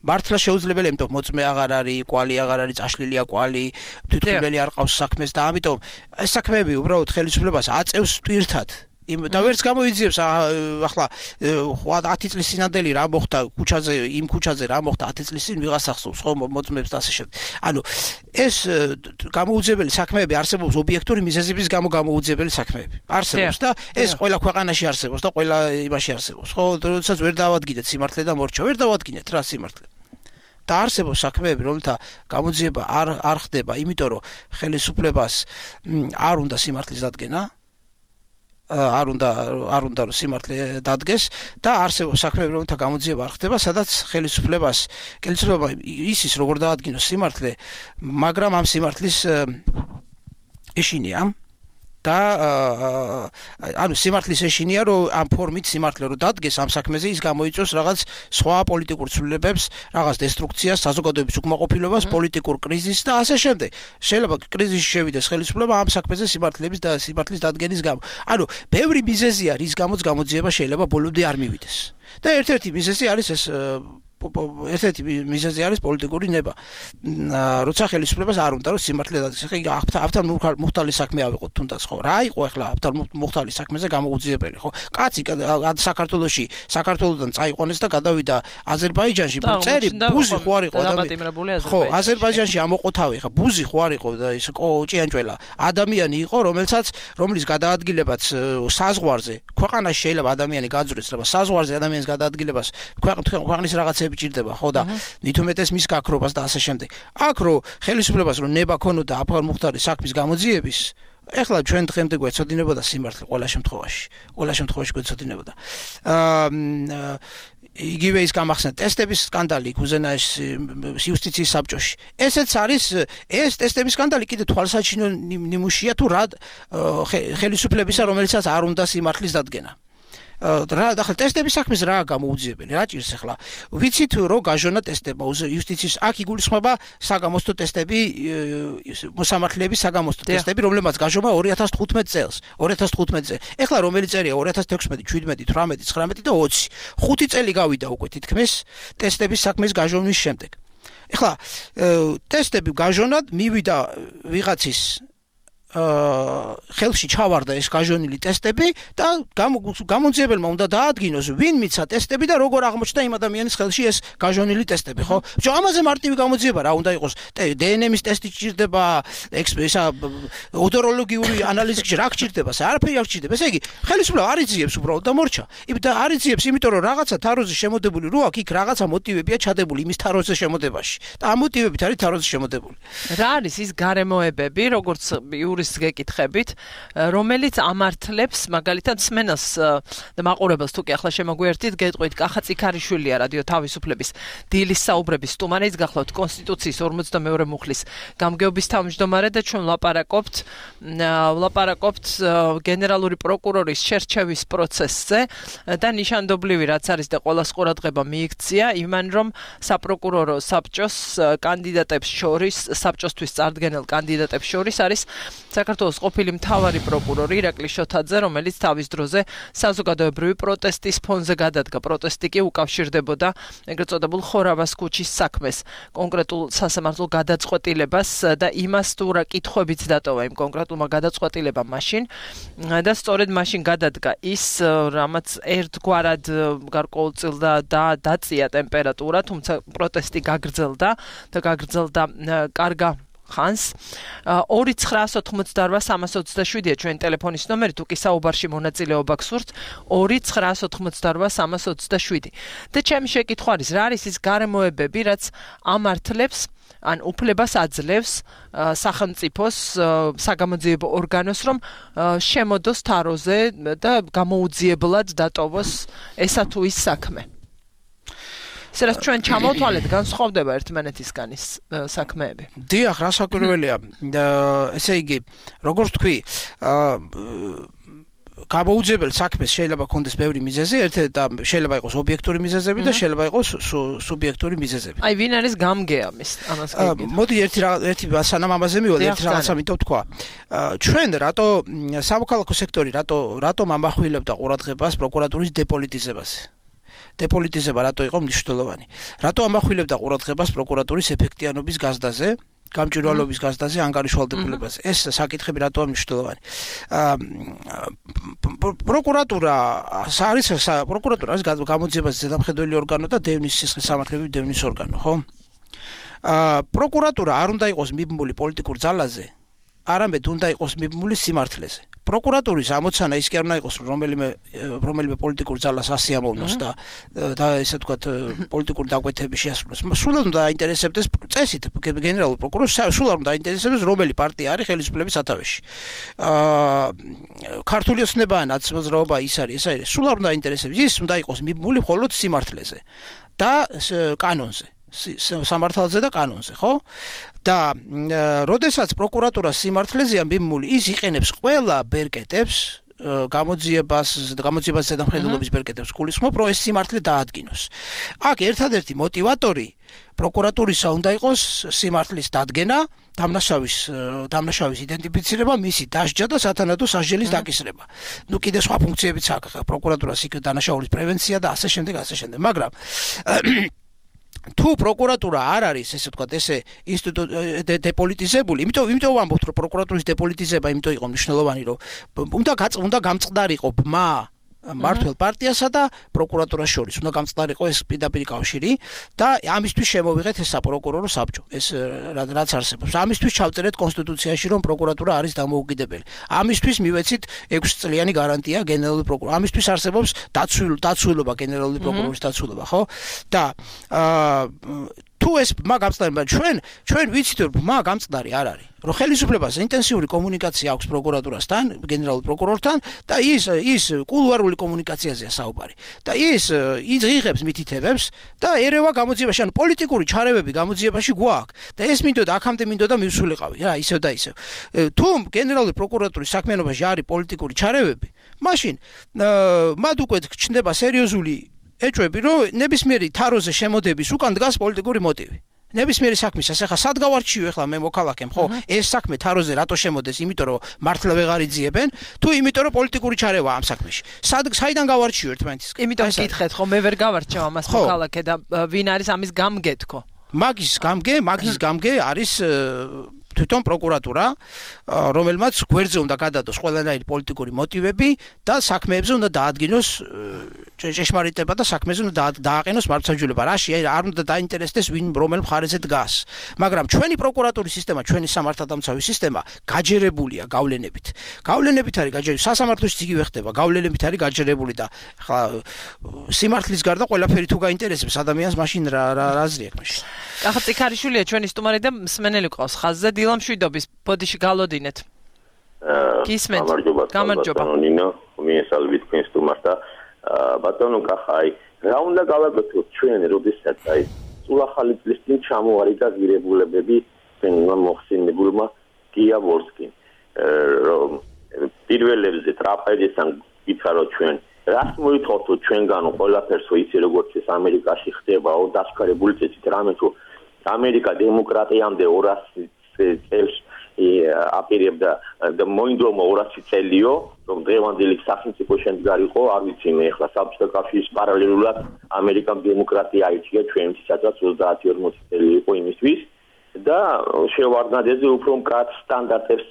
მართლა შეუძლებელია, იმიტომ რომ მოწმე აღარ არის, კვალი აღარ არის, წაშლილია კვალი, თვითმფრინავი არ ყავს საქმეს და ამიტომ ეს საქმეები უბრალოდ ხელისუფლებას აწევს ტვირთად იმ და ვერც გამოიძიებს ახლა ათი წლის წინანდელი რა მოხდა ქუჩაზე იმ ქუჩაზე რა მოხდა ათი წლის წინ ვიღას ახსოვს ხო მოწმებს და ასე შემდეგ. ანუ ეს გამოუძიებელი საქმეები არსებობს ობიექტური მიზეზების გამო გამოუძიებელი საქმეები. არსებობს და ეს ყველა ქვეყანაში არსებობს და ყველა იმაში არსებობს. ხო, როდესაც ვერ დავადგინეთ სიმართლე და მორჩა, ვერ დავადგინეთ რა სიმართლე. და არსებობს საქმეები, რომელთა გამოძიება არ არ ხდება, იმიტომ რომ ხელისუფლებას არ უნდა სიმართლის დადგენა, არ უნდა არ უნდა რომ სიმართლე დადგეს და არსებობს საქმეები, რომელთა გამოძიება არ ხდება, სადაც ხელისუფლებას ხელისუფლება ისის როგორ დაადგინოს სიმართლე, მაგრამ ამ სიმართლის ეშინია და ანუ სიმართლის ეშინია რომ ამ ფორმით სიმართლე რომ დადგეს ამ საქმეზე ის გამოიწვევს რაღაც სხვა პოლიტიკურ ცვლილებებს, რაღაც დესტრუქციას, საზოგადოების უკმაყოფილებას, პოლიტიკურ კრიზისს და ასე შემდეგ. შეიძლება კრიზისში შევიდეს ხელისუფლება ამ საქმეზე სიმართლების და სიმართლის დადგენის გამო. ანუ ბევრი მიზეზია, რის გამოც გამოძიება შეიძლება ბოლომდე არ მივიდეს. და ერთ-ერთი მიზეზი არის ეს ერთ-ერთი მიზეზი არის პოლიტიკური ნება. როცა ხელისუფლებას არ უნდა რომ სიმართლე დადგეს. ხა ავთან მუხტალი საქმე ავიღოთ თუნდაც ხო. რა იყო ახლა ავთან მუხტალი საქმეზე გამოუძიებელი ხო? კაცი საქართველოში საქართველოსთან წაიყვანეს და გადავიდა აზერბაიჯანში. წერი ბუზი ხო არ იყო ადამიანი. ხო, აზერბაიჯანში ამოყოთავი ხა ბუზი ხო არ იყო და ის ჭიანჭველა. ადამიანი იყო, რომელსაც რომლის გადაადგილებაც საზღვარზე ქვეყანაში შეიძლება ადამიანი გაძვრეს, რა საზღვარზე ადამიანის გადაადგილებას ქვეყნის რაღაცები ჭირდება ხო და მithumetes მის გაქრობას და ასე შემდეგ. აქ რო ხელისუფლებას რო ნება ქონოდა აფარ მუხტარის საქმის გამოძიების, ეხლა ჩვენ დღემდე გვეცოდინებოდა სიმართლე ყველა შემთხვევაში. ყველა შემთხვევაში გვეცოდინებოდა. აა იგივე ის გამახსენეთ ტესტების სკანდალი უზენაეს იუსტიციის საბჭოში. ესეც არის ეს ტესტების სკანდალი კიდე თვალსაჩინო ნიმუშია თუ რა ხელისუფლებისა, რომელიცაც არ უნდა სიმართლის დადგენა. რა ახლა ტესტების საქმეს რა გამოუძიებელი რა ჭირს ახლა ვიცით რომ გაჟონა ტესტება იუსტიციის აქ იგულისხმება საგამოსტო ტესტები მოსამართლეების საგამოსტო ტესტები რომლებმაც გაჟომა ორი ათას თხუთმეტ წელს ორი ათას თხუთმეტ წელს ეხლა რომელი წერია ორი ათას თექვსმეტი შვიდმეტი თვრამეტი ცხრამეტი და ოცი ხუთი წელი გავიდა უკვე თითქმის ტესტების საქმის გაჟონვის შემდეგ ეხლა ტესტები გაჟონად მივიდა ვიღაცის ხელში ჩავარდა ეს გაჟონილი ტესტები და გამოძიებელმა უნდა დაადგინოს ვინ მიცა ტესტები და როგორ აღმოჩნდა იმ ადამიანის ხელში ეს გაჟონილი ტესტები ხო? ჯო ამაზე მარტივი გამოძიება რა უნდა იყოს დნმ-ის ტესტი ჭირდება ესა ოდოროლოგიური ანალიზი რა გჭირდება არაფერი არ გჭირდება ესე იგი ხელისუფლება არ იძიებს უბრალოდ და მორჩა და არ იძიებს იმიტომ რომ რაღაცა თაროზე შემოდებული რო აქ იქ რაღაცა მოტივებია ჩადებული იმის თაროზე შემოდებაში და ამ მოტივებით არის თაროზე შემოდებული რა არის ის გარემოებები როგორც იურის გეკითხებით, რომელიც ამართლებს მაგალითად სმენელს და მაყურებელს თუ კი ახლა შემოგვიერთით, გეტყვით კახა წიქარიშვილია რადიო თავისუფლების დილის საუბრების სტუმარი, ის გახლავთ კონსტიტუციის ორმოცდამეორე მუხლის გამგეობის თავმჯდომარე და ჩვენ ვლაპარაკობთ ვლაპარაკობთ გენერალური პროკურორის შერჩევის პროცესზე და ნიშანდობლივი რაც არის და ყოველას ყურადღება მიიქცია იმან რომ საპროკურორო საბჭოს კანდიდატებს შორის საბჭოსთვის წარდგენელ კანდიდატებს შორის არის საქართველოს ყოფილი მთავარი პროკურორი ირაკლი შოთაძე, რომელიც თავის დროზე საზოგადოებრივი პროტესტის ფონზე გადადგა. პროტესტი კი უკავშირდებოდა ეგრეთ წოდებულ ხორავას ქუჩის საქმეს, კონკრეტულ სასამართლო გადაწყვეტილებას და იმას თუ რა კითხვებიც დატოვა იმ კონკრეტულმა გადაწყვეტილებამ მაშინ და სწორედ მაშინ გადადგა ის, რამაც ერთგვარად გარკვეულწილ და დაწია ტემპერატურა, თუმცა პროტესტი გაგრძელდა და გაგრძელდა კარგა ხანს ორი ცხრაას ოთხმოცდაორვა სამას ოცდაშვიდია ჩვენ ტელეფონის ნომერი თუ კი საუბარში მონაწილეობა გსურთ ორი ცხრაას ოთხმოცდაორვა სამას ოცდაშვიდი და ჩემი შეკითხვა არის რა არის ის გარემოებები რაც ამართლებს ან უფლებას აძლევს სახელმწიფოს საგამოძიებო ორგანოს რომ შემოდოს თაროზე და გამოუძიებლად დატოვოს ესა თუ ის საქმე სერას ჩვენ ჩამოვთვალეთ განსხვავდება ერთმანეთისგან ის საქმეები. დიახ, რა საკურველია. ესე იგი, როგორც თქვი, გამოუძიებელ საქმეს შეიძლება კონდეს ბევრი მიზეზი, ერთ და შეიძლება იყოს ობიექტური მიზეზები და შეიძლება იყოს სუბიექტური მიზეზები. აი, ვინ არის გამგეა მის ამას გიგეთ. მოდი ერთი ერთი სანამ ამაზე მივალ, ერთი რაღაცა მინდა თქვა. ჩვენ რატო სამოქალაქო სექტორი რატო რატომ ამახვილებდა ყურადღებას პროკურატურის დეპოლიტიზებაზე? დეპოლიტიზება რატო იყო მნიშვნელოვანი? რატო ამახვილებდა ყურადღებას პროკურატურის ეფექტიანობის გაზრდაზე? გამჭვირვალობის გაზრდაზე ანგარიშვალდებულებას. ეს საკითხები რატო არის მნიშვნელოვანი? პროკურატურა არის პროკურატურა არის გამოძიებას ზედამხედველი ორგანო და დევნის სისხლის სამართლებრივი დევნის ორგანო, ხო? პროკურატურა არ უნდა იყოს მიბმული პოლიტიკურ ძალაზე, არამედ უნდა იყოს მიბმული სიმართლეზე. პროკურატურის ამოცანა ის კი არ უნდა იყოს რომელიმე რომელიმე პოლიტიკურ ძალას ასიამოვნოს და და ესე ვთქვათ პოლიტიკური დაკვეთების შეასრულოს. სულად უნდა აინტერესებდეს წესით გენერალურ პროკურორს სულად უნდა აინტერესებდეს რომელი პარტია არის ხელისუფლების სათავეში. აა ქართული ოცნება ან ნაცნობრაობა ის არის, ეს არის. სულად უნდა აინტერესებდეს ის უნდა იყოს მიბმული მხოლოდ სიმართლეზე და კანონზე. სამართალზე და კანონზე, ხო? და როდესაც პროკურატურა სიმართლეზეა მიბმული, ის იყენებს ყველა ბერკეტებს, გამოძიებას, გამოძიებას ზედამხედველობის ბერკეტებს გულისხმობ, რომ ეს სიმართლე დაადგინოს. აქ ერთადერთი მოტივატორი პროკურატურისა უნდა იყოს სიმართლის დადგენა, დამნაშავის დამნაშავის იდენტიფიცირება, მისი დასჯა და სათანადო სასჯელის დაკისრება. ნუ კიდე სხვა ფუნქციებიც აქვს პროკურატურას, იქ დანაშაულის პრევენცია და ასე შემდეგ, ასე შემდეგ. მაგრამ თუ პროკურატურა არ არის, ესე ვთქვათ, ესე ინსტიტუტი დეპოლიტიზებული, იმიტომ იმიტომ ვამბობთ, რომ პროკურატურის დეპოლიტიზება იმიტომ იყო მნიშვნელოვანი, რომ უნდა უნდა გამწყდარიყო ბმა მართლ პარტიასა და პროკურატურას შორის. უნდა გამწყდარიყო ეს პირდაპირ კავშირი და ამისთვის შემოვიღეთ ეს საპროკურორო საბჭო. ეს რაც არსებობს. ამისთვის ჩავწერეთ კონსტიტუციაში, რომ პროკურატურა არის დამოუკიდებელი. ამისთვის მივეცით ექვსი წლიანი გარანტია გენერალური პროკურორის. ამისთვის არსებობს დაცულობა გენერალური პროკურორის დაცულობა, ხო? და აა თუ ეს ბმა გამწყდარი, ჩვენ ჩვენ ვიცით, რომ ბმა გამწყდარი არ არის. რომ ხელისუფლებას ინტენსიური კომუნიკაცია აქვს პროკურატურასთან, გენერალურ პროკურორთან და ის ის კულუარული კომუნიკაციაზეა საუბარი. და ის იღებს მითითებებს და ერევა გამოძიებაში, ანუ პოლიტიკური ჩარევები გამოძიებაში გვაქვს. და ეს მინდოდა აქამდე მინდოდა მივსულიყავი, რა, ისევ და ისევ. თუ გენერალური პროკურატურის საქმიანობაში არის პოლიტიკური ჩარევები, მაშინ მათ უკვე ჩნდება სერიოზული ეჭვები, რომ ნებისმიერი თაროზე შემოდების უკან დგას პოლიტიკური მოტივი. ნებისმიერი საქმისას ახლა სად გავარჩიო ახლა მე მოქალაქემ, ხო? ეს საქმე თაროზე რატო შემოდეს? იმიტომ რომ მართლა ვეღარ იძიებენ, თუ იმიტომ რომ პოლიტიკური ჩარევა ამ საქმეში. სად საიდან გავარჩიო ერთმანეთისგან? იმიტომ გითხეთ, ხო, მე ვერ გავარჩევ ამას მოქალაქე და ვინ არის ამის გამგე თქო? მაგის გამგე, მაგის გამგე არის თვითონ პროკურატურა, რომელმაც გვერდზე უნდა გადადოს ყველანაირი პოლიტიკური მოტივები და საქმეებზე უნდა დაადგინოს ჭეშმარიტება და საქმეზე უნდა დააყენოს მართლმსაჯულება. რაში არ უნდა დაინტერესდეს ვინ რომელ მხარეზე დგას. მაგრამ ჩვენი პროკურატურის სისტემა, ჩვენი სამართალდამცავი სისტემა გაჯერებულია გავლენებით. გავლენებით არის გაჯერებული, სასამართლოშიც იგივე ხდება, გავლენებით არის გაჯერებული და ხა სიმართლის გარდა ყველაფერი თუ გაინტერესებს ადამიანს, მაშინ რა რა აზრი აქვს მაშინ. ახლა წიქარიშვილია ჩვენი სტუმარი და მსმენელი ყავს ხაზზე. დილამშვიდობის, ბოდიში გალოდინეთ. გისმენთ. გამარჯობა. ნინო, მიესალმებით თქვენს სტუმარს და ბატონო კახაი, რა უნდა გავაკეთოთ ჩვენ, როდესაც აი სულ ახალი წლის წინ ჩამოვარდა ღირებულებები თქვენმა მოხსენებულმა გიაბორსკიმ. რომ პირველებზე ტრაპეზისთან გითხარო ჩვენ, რას მოითხოვთ ჩვენგანო ყველაფერს, ისე როგორც ეს ამერიკაში ხდებაო, დასკარებული წესით რამე თუ ამერიკა დემოკრატიამდე ორასი წელს აპირებდა და მოინდომა ორასი წელიო, რომ დღევანდელი სახელმწიფო შემდგარიყო, არ ვიცი მე ახლა საბჭოთა კავშირის პარალელურად ამერიკამ დემოკრატია აიჩია ჩვენთვის, სადაც ოცდაათი ორმოცი წელი იყო იმისთვის და შევარდნაძეზე უფრო მკაცრ სტანდარტებს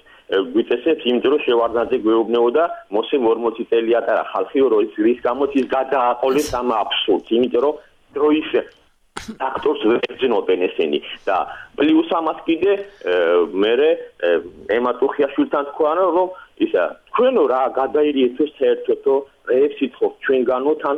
გვიწესებს, იმიტომ რომ შევარდნაძე გვეუბნებოდა მოსემ ორმოცი წელი ატარა ხალხი, რომ რის გამოც ის გადააყოლეს ამ აბსურდს, იმიტომ რომ დროის აქტორს ვეძნობენ ესენი და პლუს ამას კიდე მერე ემა ტუხიაშვილთან თქვა რომ ისა თქვენო რა გადაირიეთ საერთოდ რეებს ითხოვთ ჩვენგანოთან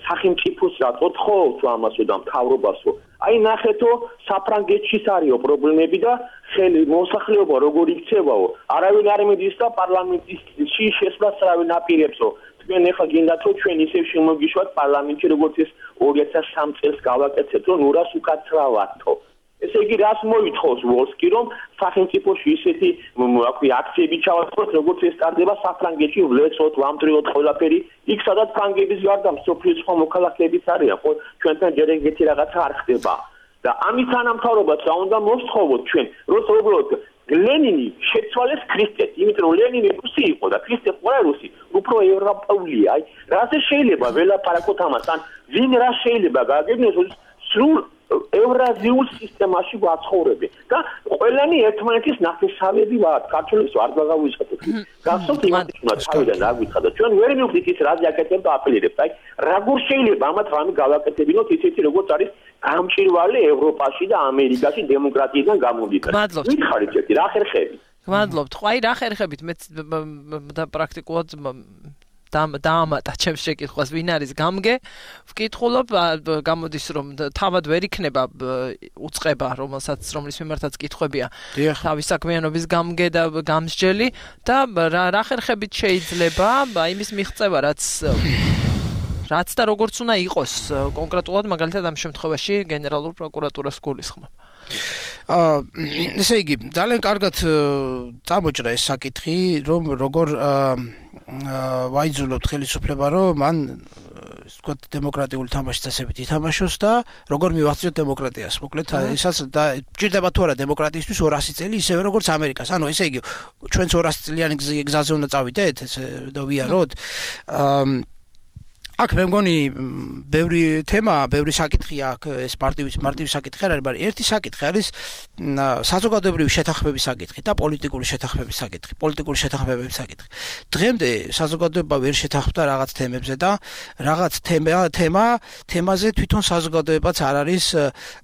სახელმწიფოს რატო თხოვთ ამასო და მთავრობასო აი ნახეთო საფრანგეთშიც არისო პრობლემები და ხელი მოსახლეობა როგორ იქცევაო არავინ არ მიდის და პარლამენტში შესვლას არავინ აპირებსო თქვენ ახლა გინდათ რომ ჩვენ ისევ შემოგიშვათ პარლამენტში როგორც ეს ორი ათას სამი წელს გავაკეთეთ რომ ნურას უკაცრავათო ესე იგი რას მოითხოვს ვოლსკი რომ სახელმწიფოში ისეთი აკვი აქციები ჩავატაროთ როგორც ეს სტარდება საფრანგეთში ვლეცოთ ვამდრიოთ ყველაფერი იქ სადაც ფრანგების გარდა მსოფლიოს სხვა მოქალაქეებიც არიან ხო ჩვენთან ჯერ ეგეთი რაღაცა არ ხდება და ამის თანამთავრობაც რა უნდა მოსთხოვოთ ჩვენ რომ უბრალოდ ლენინი შეცვალეს ქრისტეს იმიტომ რომ ლენინი რუსი იყო და ქრისტე ყურა რუსი უფრო ევროპული აი რა შეიძლება ველაპარაკოთ ამას ან ვინ რა შეიძლება გააგებინოს სრულ ევრაზიულ სისტემაში ვაცხოვრები და ყველანი ერთმანეთის ნათესავები ვართ. ქართველებს ვარ გავიზღოთ. გახსოვთ იმათი უნდა თავიდან რა გითხრა და ჩვენ ვერ მივხვდით ის რა დიაკეთებდა აპელირებს. აი როგორ შეიძლება ამათ რამე გავაკეთებინოთ ისეთი როგორც არის გამჭირვალე ევროპაში და ამერიკაში დემოკრატიიდან გამომდინარე. მითხარით ერთი რა ხერხები. გმადლობთ. ხო აი რა ხერხებით მე და პრაქტიკულად დაამატა ჩემს შეკითხვას ვინ არის გამგე ვკითხულობ გამოდის რომ თავად ვერ იქნება უწყება რომელსაც რომლის მიმართაც კითხვებია თავის საქმიანობის გამგე და გამსჯელი და რა ხერხებით შეიძლება იმის მიღწევა რაც რაც და როგორც უნდა იყოს კონკრეტულად მაგალითად ამ შემთხვევაში გენერალურ პროკურატურას გულისხმობ. აა ესე იგი ძალიან კარგად წამოჭრა ეს საკითხი რომ როგორ ვაიძულოთ ხელისუფლება რომ მან ვთქვათ დემოკრატიული თამაშის წესებით ითამაშოს და როგორ მივახციოთ დემოკრატიას. მოკლედ ესაც და ჭირდება თუ არა დემოკრატიისთვის ორასი წელი ისევე როგორც ამერიკას. ანუ ესე იგი ჩვენც ორასი წლიანი გზაზე უნდა წავიდეთ ესე და ვიაროთ. აა აქ მე მგონი ბევრი თემა, ბევრი საკითხი აქ ეს მარტივი მარტივი საკითხი არ არის, მაგრამ ერთი საკითხი არის საზოგადოებრივი შეთანხმების საკითხი და პოლიტიკური შეთანხმების საკითხი, პოლიტიკური შეთანხმების საკითხი. დღემდე საზოგადოება ვერ შეთანხმდა რაღაც თემებზე და რაღაც თემა თემა თემაზე თვითონ საზოგადოებაც არ არის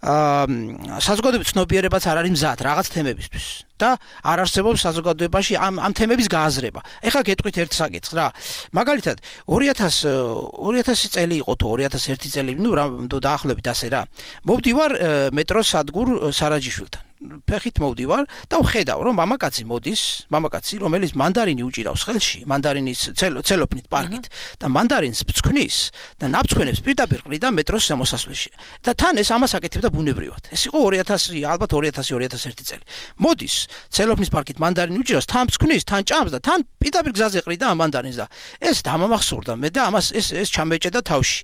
აა საზოგადოების ცნობიერებაც არ არის მზად რაღაც თემებისთვის. და არ არსებობს საზოგადოებაში ამ ამ თემების გააზრება. ეხლა გეტყვით ერთ საკითხს რა. მაგალითად ორი ათასი წელი იყო თუ ორი ათას ერთი წელი, ნუ რა დაახლოებით ასე რა. მოვდივარ მეტროს სადგურ სარაჯიშვილთან. ფეხით მოვდივარ და ვხედავ რომ მამაკაცი მოდის, მამაკაცი რომელიც მანდარინი უჭირავს ხელში, მანდარინის ცელოფნით პარკით და მანდარინს ბცქვნის და ნაბცქვენებს პირდაპირ ყრიდა მეტროს შემოსასვლელში. და თან ეს ამას აკეთებდა ბუნებრივად. ეს იყო ორი ათასი ალბათ ორი ათასი ორი ათას ერთი წელი. მოდის ცელოფნის პარკით მანდარინი უჭირავს, თან ბცქვნის, თან ჭამს და თან პირდაპირ გზაზე ყრიდა ამ მანდარინს და ეს დამამახსოვრდა მე და ამას ეს ეს ჩამეჭედა თავში.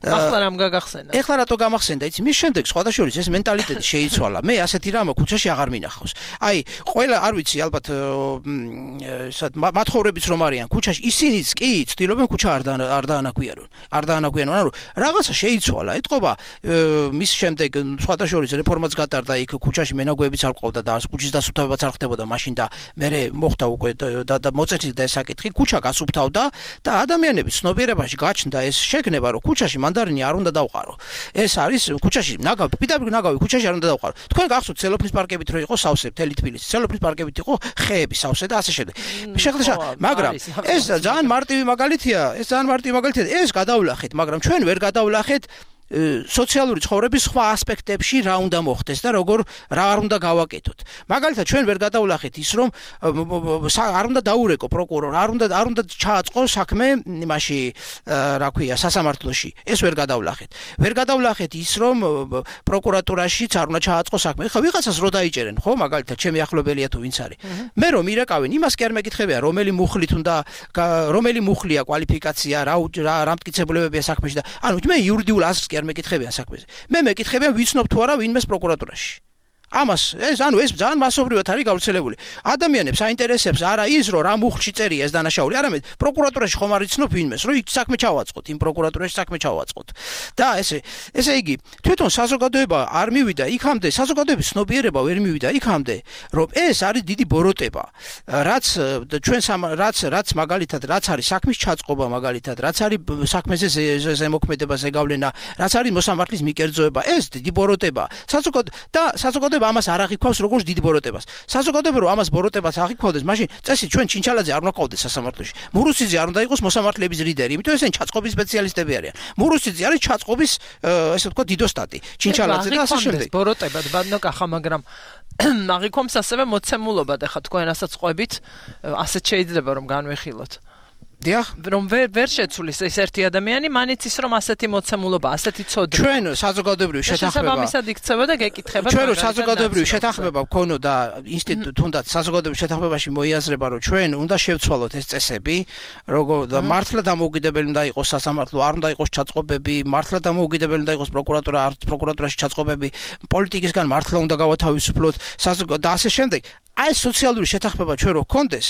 ახლა რამ გაგახსენა? ეხლა რატო გამახსენდა? იცი მის შემდეგ სხვადასხვა ეს მენტალიტეტი შეიცვალა. მე ასეთი რამ ქუჩაში აღარ მინახავს. აი, ყველა არ ვიცი, ალბათ სად მათხოვრებიც რომ არიან ქუჩაში, ისინიც კი ცდილობენ ქუჩა არ არ დაანაგვიანონ. არ დაანაგვიანონ, ანუ რაღაცა შეიცვალა. ეთყობა მის შემდეგ სხვადასხვა რეფორმაც გატარდა იქ ქუჩაში მენაგვეებიც არ ყავდა და ქუჩის დასუფთავებაც არ ხდებოდა მაშინ და მე მოხდა უკვე და მოწესრიგდა ეს საკითხი, ქუჩა გასუფთავდა და ადამიანების ცნობიერებაში გაჩნდა ეს შეგნება, რომ ქუჩაში მანდარინი არ უნდა დავყარო. ეს არის ქუჩაში ნაგავი, პირდაპირ ნაგავი ქუჩაში არ უნდა დავყარო. თქვენ გახსოვთ ცელოფნის პარკებით რო იყო სავსე მთელი თბილისი, ცელოფნის პარკებით იყო ხეები სავსე და ასე შემდეგ. შეხლა მაგრამ ეს ძალიან მარტივი მაგალითია, ეს ძალიან მარტივი მაგალითია. ეს გადავლახეთ, მაგრამ ჩვენ ვერ გადავლახეთ სოციალური ცხოვრების სხვა ასპექტებში რა უნდა მოხდეს და როგორ რა არ უნდა გავაკეთოთ. მაგალითად ჩვენ ვერ გადავლახეთ ის რომ არ უნდა დაურეკო პროკურორ, არ უნდა არ უნდა ჩააწყო საქმე იმაში რა ქვია სასამართლოში. ეს ვერ გადავლახეთ. ვერ გადავლახეთ ის რომ პროკურატურაშიც არ უნდა ჩააწყო საქმე. ხა ვიღაცას რო დაიჭერენ, ხო, მაგალითად ჩემი ახლობელია თუ ვინც არის. მე რომ ირეკავენ, იმას კი არ მეკითხებია, რომელი მუხლით უნდა რომელი მუხლია კვალიფიკაცია, რა რა მტკიცებულებებია საქმეში და ანუ მე იურიდიულ ასს არ მეკითხებიან საქმეზე. მე მეკითხებიან ვიცნობ თუ არა ვინმეს პროკურატურაში. ამას ეს ანუ ეს ძალიან მასობრივად არის გავრცელებული. ადამიანებს აინტერესებს არა ის რომ რა მუხლში წერია ეს დანაშაული, არამედ პროკურატურაში ხომ არ იცნობ ვინმეს, რომ იქ საქმე ჩავაწყოთ, იმ პროკურატურაში საქმე ჩავაწყოთ. და ესე ესე იგი თვითონ საზოგადოება არ მივიდა იქამდე, საზოგადოების ცნობიერება ვერ მივიდა იქამდე, რომ ეს არის დიდი ბოროტება. რაც ჩვენ რაც რაც მაგალითად რაც არის საქმის ჩაწყობა მაგალითად, რაც არის საქმეზე ზემოქმედება, ზეგავლენა, რაც არის მოსამართლის მიკერძოება, ეს დიდი ბოროტება. საზოგადო და საზოგადოება ამას არ აღიქვავს როგორც დიდ ბოროტებას. საზოგადოება რომ ამას ბოროტებას აღიქვავდეს, მაშინ წესი ჩვენ ჩინჩალაძე არ უნდა ყავდეს სასამართლოში. მურუსიძე არ უნდა იყოს მოსამართლეების ლიდერი, იმიტომ ესენი ჩაწყობის სპეციალისტები არიან. მურუსიძე არის ჩაწყობის ესე ვთქვათ დიდოსტატი. ჩინჩალაძე და ასე შემდეგ. ბოროტებად ბადნო კახა, მაგრამ აღიქვამს ასევე მოცემულობად, ახლა თქვენ რასაც ყვებით, ასეც შეიძლება რომ განვიხილოთ. დიახ, რომ ვერ ვერ შეცვლის ეს ერთი ადამიანი, მანიც ის რომ ასეთი მოცემულობა, ასეთი ცოდნა. ჩვენ საზოგადოებრივი შეთანხმება შესაბამისად იქცევა და გეკითხება. ჩვენ რო საზოგადოებრივი შეთანხმება გქონოდა ინსტიტუტ თუნდაც საზოგადოებრივი შეთანხმებაში მოიაზრება, რომ ჩვენ უნდა შევცვალოთ ეს წესები, როგორ და მართლა დამოუკიდებელი უნდა იყოს სასამართლო, არ უნდა იყოს ჩაწყობები, მართლა დამოუკიდებელი უნდა იყოს პროკურატურა, არ პროკურატურაში ჩაწყობები, პოლიტიკისგან მართლა უნდა გავათავისუფლოთ, და ასე შემდეგ. აი სოციალური შეთანხმება ჩვენ რო გქონდეს,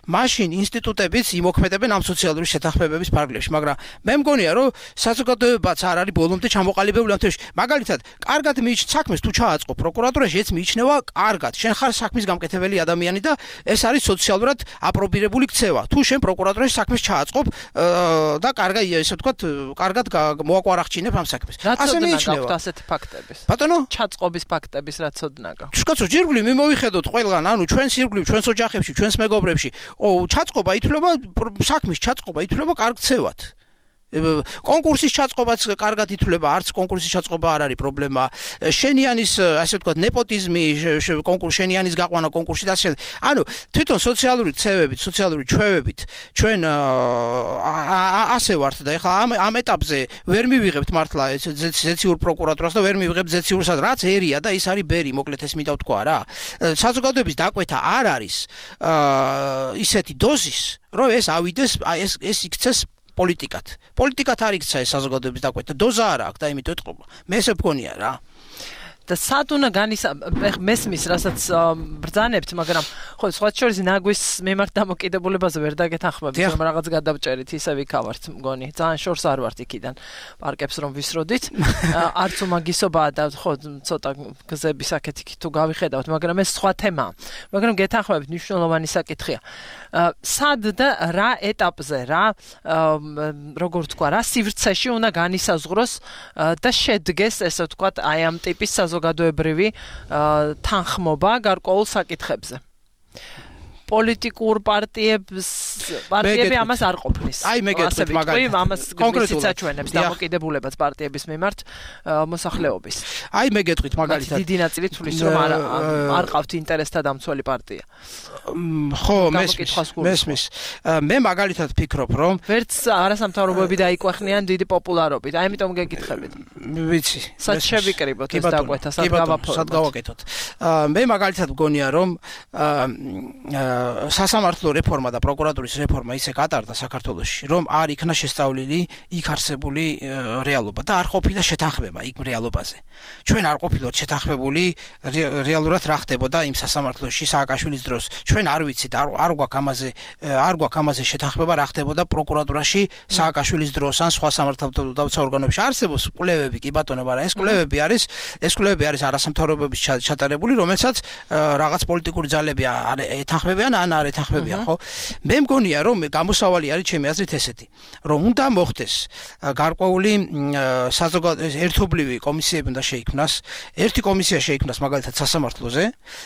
მაშინ ინსტიტუტებიც იმოქმედებენ ამ სოციალური შეთანხმებების ფარგლებში, მაგრამ მე მგონია რომ საზოგადოებაც არ არის ბოლომდე ჩამოყალიბებული ამ თემში. მაგალითად, კარგად მიიჩნევ საქმეს თუ ჩააწყო პროკურატურაში, ეს მიიჩნევა კარგად. შენ ხარ საქმის გამკეთებელი ადამიანი და ეს არის სოციალურად აპრობირებული ქცევა. თუ შენ პროკურატურაში საქმეს ჩააწყობ და კარგა ესე ვთქვათ, კარგად მოაკვარახჩინებ ამ საქმეს. ასე მიიჩნევა. ასეთი ფაქტების. ბატონო, ჩაწყობის ფაქტების რაც ოდნაგა. შკაცო ჯირგვლი მე მოვიხედოთ ყველგან, ანუ ჩვენს ირგვლივ, ჩვენს ოჯახებში, ჩვენს მეგობრებში, ო ჩაწყობა ითვლება საქმის ჩაწყობა ითვლება კარგ ქცევად. კონკურსის ჩაწყობაც კარგად ითვლება, არც კონკურსის ჩაწყობა არ არის პრობლემა. შენიანის, ასე ვთქვათ, ნეპოტიზმი, კონკურს შენიანის გაყვანა კონკურსში და ასე. ანუ თვითონ სოციალური ქცევებით, სოციალური ჩვევებით ჩვენ ასე ვართ და ეხლა ამ ამ ეტაპზე ვერ მივიღებთ მართლა ზეციურ პროკურატურას და ვერ მივიღებთ ზეციურსაც, რაც ერია და ის არის ბერი, მოკლედ ეს მინდა ვთქვა რა. საზოგადოების დაკვეთა არ არის ისეთი დოზის, რომ ეს ავიდეს, ეს ეს იქცეს პოლიტიკად. პოლიტიკად არ იქცა ეს საზოგადოების დაკვეთა, დოზა არ აქვს და იმიტომ ეთყობა. მე ესე ვგონია რა. და სად უნდა განისა მესმის, რასაც ბრძანებთ, მაგრამ ხო სხვა შორის ნაგვის მიმართ დამოკიდებულებაზე ვერ დაგეთანხმებით, რომ რაღაც გადავჭერით, ისე ვიქავართ, მგონი. ძალიან შორს არ ვართ იქიდან პარკებს რომ ვისროდით. არც უმაგისობაა და ხო ცოტა გზების აქეთ-იქით თუ გავიხედავთ, მაგრამ ეს სხვა თემაა. მაგრამ გეთანხმებით, მნიშვნელოვანი საკითხია. სად და რა ეტაპზე, რა როგორ თქვა, რა სივრცეში უნდა განისაზღვროს და შედგეს, ესე ვთქვათ, აი ამ ტიპის საზოგადოებრივი თანხმობა გარკვეულ საკითხებზე. პოლიტიკურ პარტიებს პარტიები ამას არ ყოფნის. აი მე გეტყვით მაგალითად. ამას კონკრეტულად საჩვენებს დამოკიდებულებას პარტიების მიმართ მოსახლეობის. აი მე გეტყვით მაგალითად. დიდი ნაწილი თulis რომ არ არ ყავთ ინტერესთა დამცველი პარტია. ხო, მესმის. მესმის. მე მაგალითად ფიქრობ, რომ ვერც არასამთავრობოები დაიკვეხნიან დიდი პოპულარობით. აი ამიტომ გეკითხებით. ვიცი. სად შევიკრიბოთ ეს დაკვეთა, სად გავაფორმოთ? სად გავაკეთოთ? მე მაგალითად მგონია, რომ სასამართლო რეფორმა და პროკურატურის რეფორმა ისე გატარდა საქართველოში, რომ არ იქნა შესწავლილი იქ არსებული რეალობა და არ ყოფილა შეთანხმება იქ რეალობაზე. ჩვენ არ ყოფილოთ შეთანხმებული რეალურად რა ხდებოდა იმ სასამართლოში სააკაშვილის დროს. ჩვენ არ ვიცით, არ არ გვაქვს ამაზე არ გვაქვს ამაზე შეთანხმება რა ხდებოდა პროკურატურაში სააკაშვილის დროს ან სხვა სამართალდამცავ ორგანოებში. არსებობს კვლევები, კი ბატონო, მაგრამ ეს კვლევები არის ეს კვლევები არის არასამთავრობოების ჩატარებული, რომელსაც რაღაც პოლიტიკური ძალები ეთანხმებიან ან არ ეთანხმებიან, ხო? მე მგონია, რომ გამოსავალი არის ჩემი აზრით ესეთი, რომ უნდა მოხდეს გარკვეული საზოგადოების ერთობლივი კომისიები უნდა შეიქმნას, ერთი კომისია შეიქმნას მაგალითად სასამართლოზე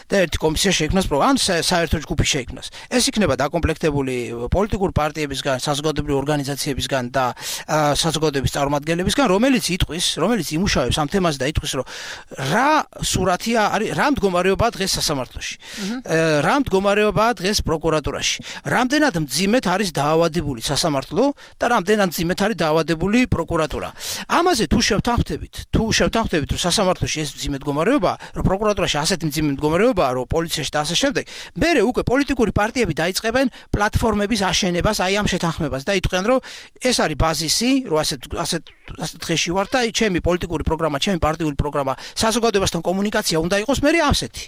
და ერთი კომისია შეიქმნას ან საერთო ჯგუფი შეიქმნას. ეს იქნება დაკომპლექტებული პოლიტიკურ პარტიებისგან, საზოგადოებრივი ორგანიზაციებისგან და საზოგადოების წარმომადგენლებისგან, რომელიც იტყვის, რომელიც იმუშავებს ამ თემაზე და იტყვის, რომ რა სურათია არის, რა მდგომარეობაა დღეს სასამართლოში. რა მდგომარეობაა დღეს პროკურატურაში. რამდენად მძიმედ არის დაავადებული სასამართლო და რამდენად მძიმედ არის დაავადებული პროკურატურა. ამაზე თუ შევთანხმდებით, თუ შევთანხმდებით, რომ სასამართლოში ეს მძიმე მდგომარეობაა, რომ პროკურატურაში ასეთი მძიმე მდგომარეობაა, რომ პოლიციაში და ასე შემდეგ, მერე უკვე პოლიტიკური პარტიები დაიწყებენ პლატფორმების აშენებას აი ამ შეთანხმებას და იტყვიან, რომ ეს არის ბაზისი, რომ ასე ასე ასე დღეში ვარ და ჩემი პოლიტიკური პროგრამა, ჩემი პარტიული პროგრამა, საზოგადოებასთან კომუნიკაცია უნდა იყოს მერე ასეთი.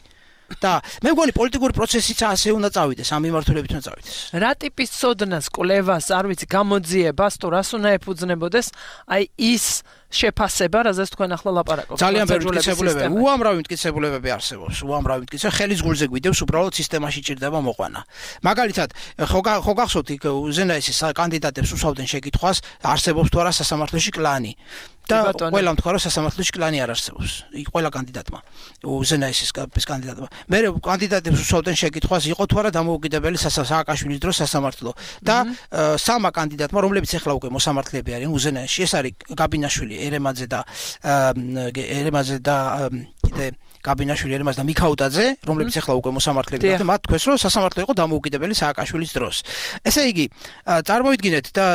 და მე მგონი პოლიტიკური პროცესიც ასე უნდა წავიდეს, ამ მიმართულებით უნდა წავიდეს. რა ტიპის ცოდნას, კვლევას, არ ვიცი, გამოძიებას, თუ რას უნდა ეფუძნებოდეს, აი ის შეფასება, რაზეც თქვენ ახლა ლაპარაკობთ. ძალიან ბევრი მტკიცებულებები, უამრავი მტკიცებულებები არსებობს, უამრავი მტკიცებულება, ხელის გულზე გვიდევს, უბრალოდ სისტემაში ჭირდება მოყვანა. მაგალითად, ხო ხო გახსოვთ იქ უზენაესის კანდიდატებს უსვავდნენ შეკითხვას, არსებობს თუ არა სასამართლოში კლანი. და ყველამ თქვა, რომ სასამართლოში კლანი არ არსებობს. იქ ყველა კანდიდატმა, უზენაესის კანდიდატმა. მე კანდიდატებს უსვავდნენ შეკითხვას, იყო თუ არა დამოუკიდებელი სააკაშვილის დროს სასამართლო. და სამა კანდიდატმა, რომლებიც ახლა უკვე მოსამართლეები არიან უზენაესში, ეს არის გაბინაშვილი, ერემაძე და ერემაძე და კიდე გაბინაშვილი, ერემაძე და მიქაუტაძე, რომლებიც ახლა უკვე მოსამართლეები არიან, მათ თქვეს, რომ სასამართლო იყო დამოუკიდებელი სააკაშვილის დროს. ესე იგი, წარმოიდგინეთ და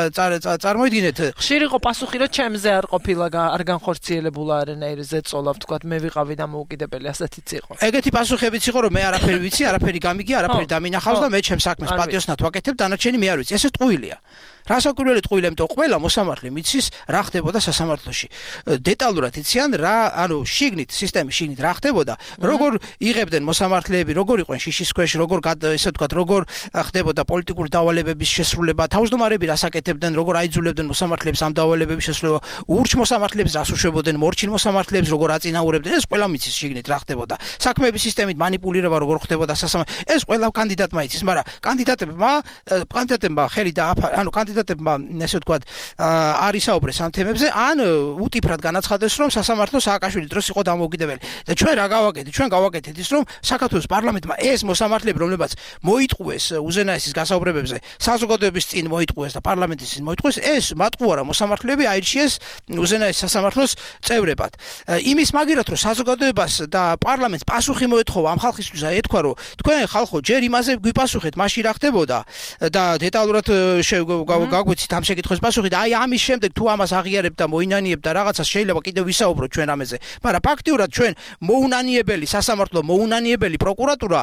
წარმოიდგინეთ, ხშირ იყო პასუხი, რომ ჩემზე არ ყოფილა არ განხორციელებულა არანაირი ზეწოლა, ვთქვათ, მე ვიყავი დამოუკიდებელი, ასეთიც იყო. ეგეთი პასუხებიც იყო, რომ მე არაფერი ვიცი, არაფერი გამიგი, არაფერი დამინახავს და მე ჩემს საქმეს პატიოსნად ვაკეთებ, დანარჩენი მე არ ვიცი. ესე ტყუილია. რასაკვირველი ტყუილი, ამიტომ ყველა მოსამართლე მიცის რა ხდებოდა სასამართლოში. დეტალურად იციან რა, ანუ შიგნით, სისტემის შიგნით რა ხდებოდა, როგორ იღებდნენ მოსამართლეები, როგორ იყვნენ შიშის ქვეშ, როგორ ესე ვთქვათ, როგორ ხდებოდა პოლიტიკური დავალებების შესრულება, თავმჯდომარები რას აკეთებდნენ, როგორ აიძულებდნენ მოსამართლეებს ამ დავალებების შესრულება, ურჩ მოსამართლეებს რას უშვებოდნენ, მორჩილ მოსამართლეებს როგორ აწინაურებდნენ, ეს ყველა მიცის შიგნით რა ხდებოდა. საქმეების სისტემით манипулირება როგორ ხდებოდა სასამართლოში, ეს ყველა კანდიდატმა იცის, მაგრამ კანდიდატებმა, კანდიდატებმა ხელი და ანუ კანდიდატებმა ესე ვთქვათ, არ ისაუბრეს ამ თემებზე, ან უტიფრად განაცხადეს, რომ სასამართლო სააკაშვილის დროს იყო დამოუკიდებელი. და ჩვენ რა გავაკეთეთ? ჩვენ გავაკეთეთ ის, რომ საქართველოს პარლამენტმა ეს მოსამართლეები, რომლებაც მოიტყუეს უზენაესის გასაუბრებებზე, საზოგადოების წინ მოიტყუეს და პარლამენტის წინ მოიტყუეს, ეს მატყუარა მოსამართლეები აირჩიეს უზენაეს სასამართლოს წევრებად. იმის მაგერად, რომ საზოგადოებას და პარლამენტს პასუხი მოეთხოვა ამ ხალხისთვის, აი ეთქვა, რომ თქვენ ხალხო ჯერ იმაზე გვიპასუხეთ, მაშინ რა ხდებოდა და დეტალურად გაგვიცით ამ შეკითხვის პასუხი და აი ამის შემდეგ თუ ამას აღიარებთ და მოინანიებთ და რაღაცას შეიძლება კიდევ ვისაუბროთ ჩვენ ამაზე. მაგრამ ფაქტიურად ჩვენ მოუნანიებელი სასამართლო, მოუნანიებელი პროკურატურა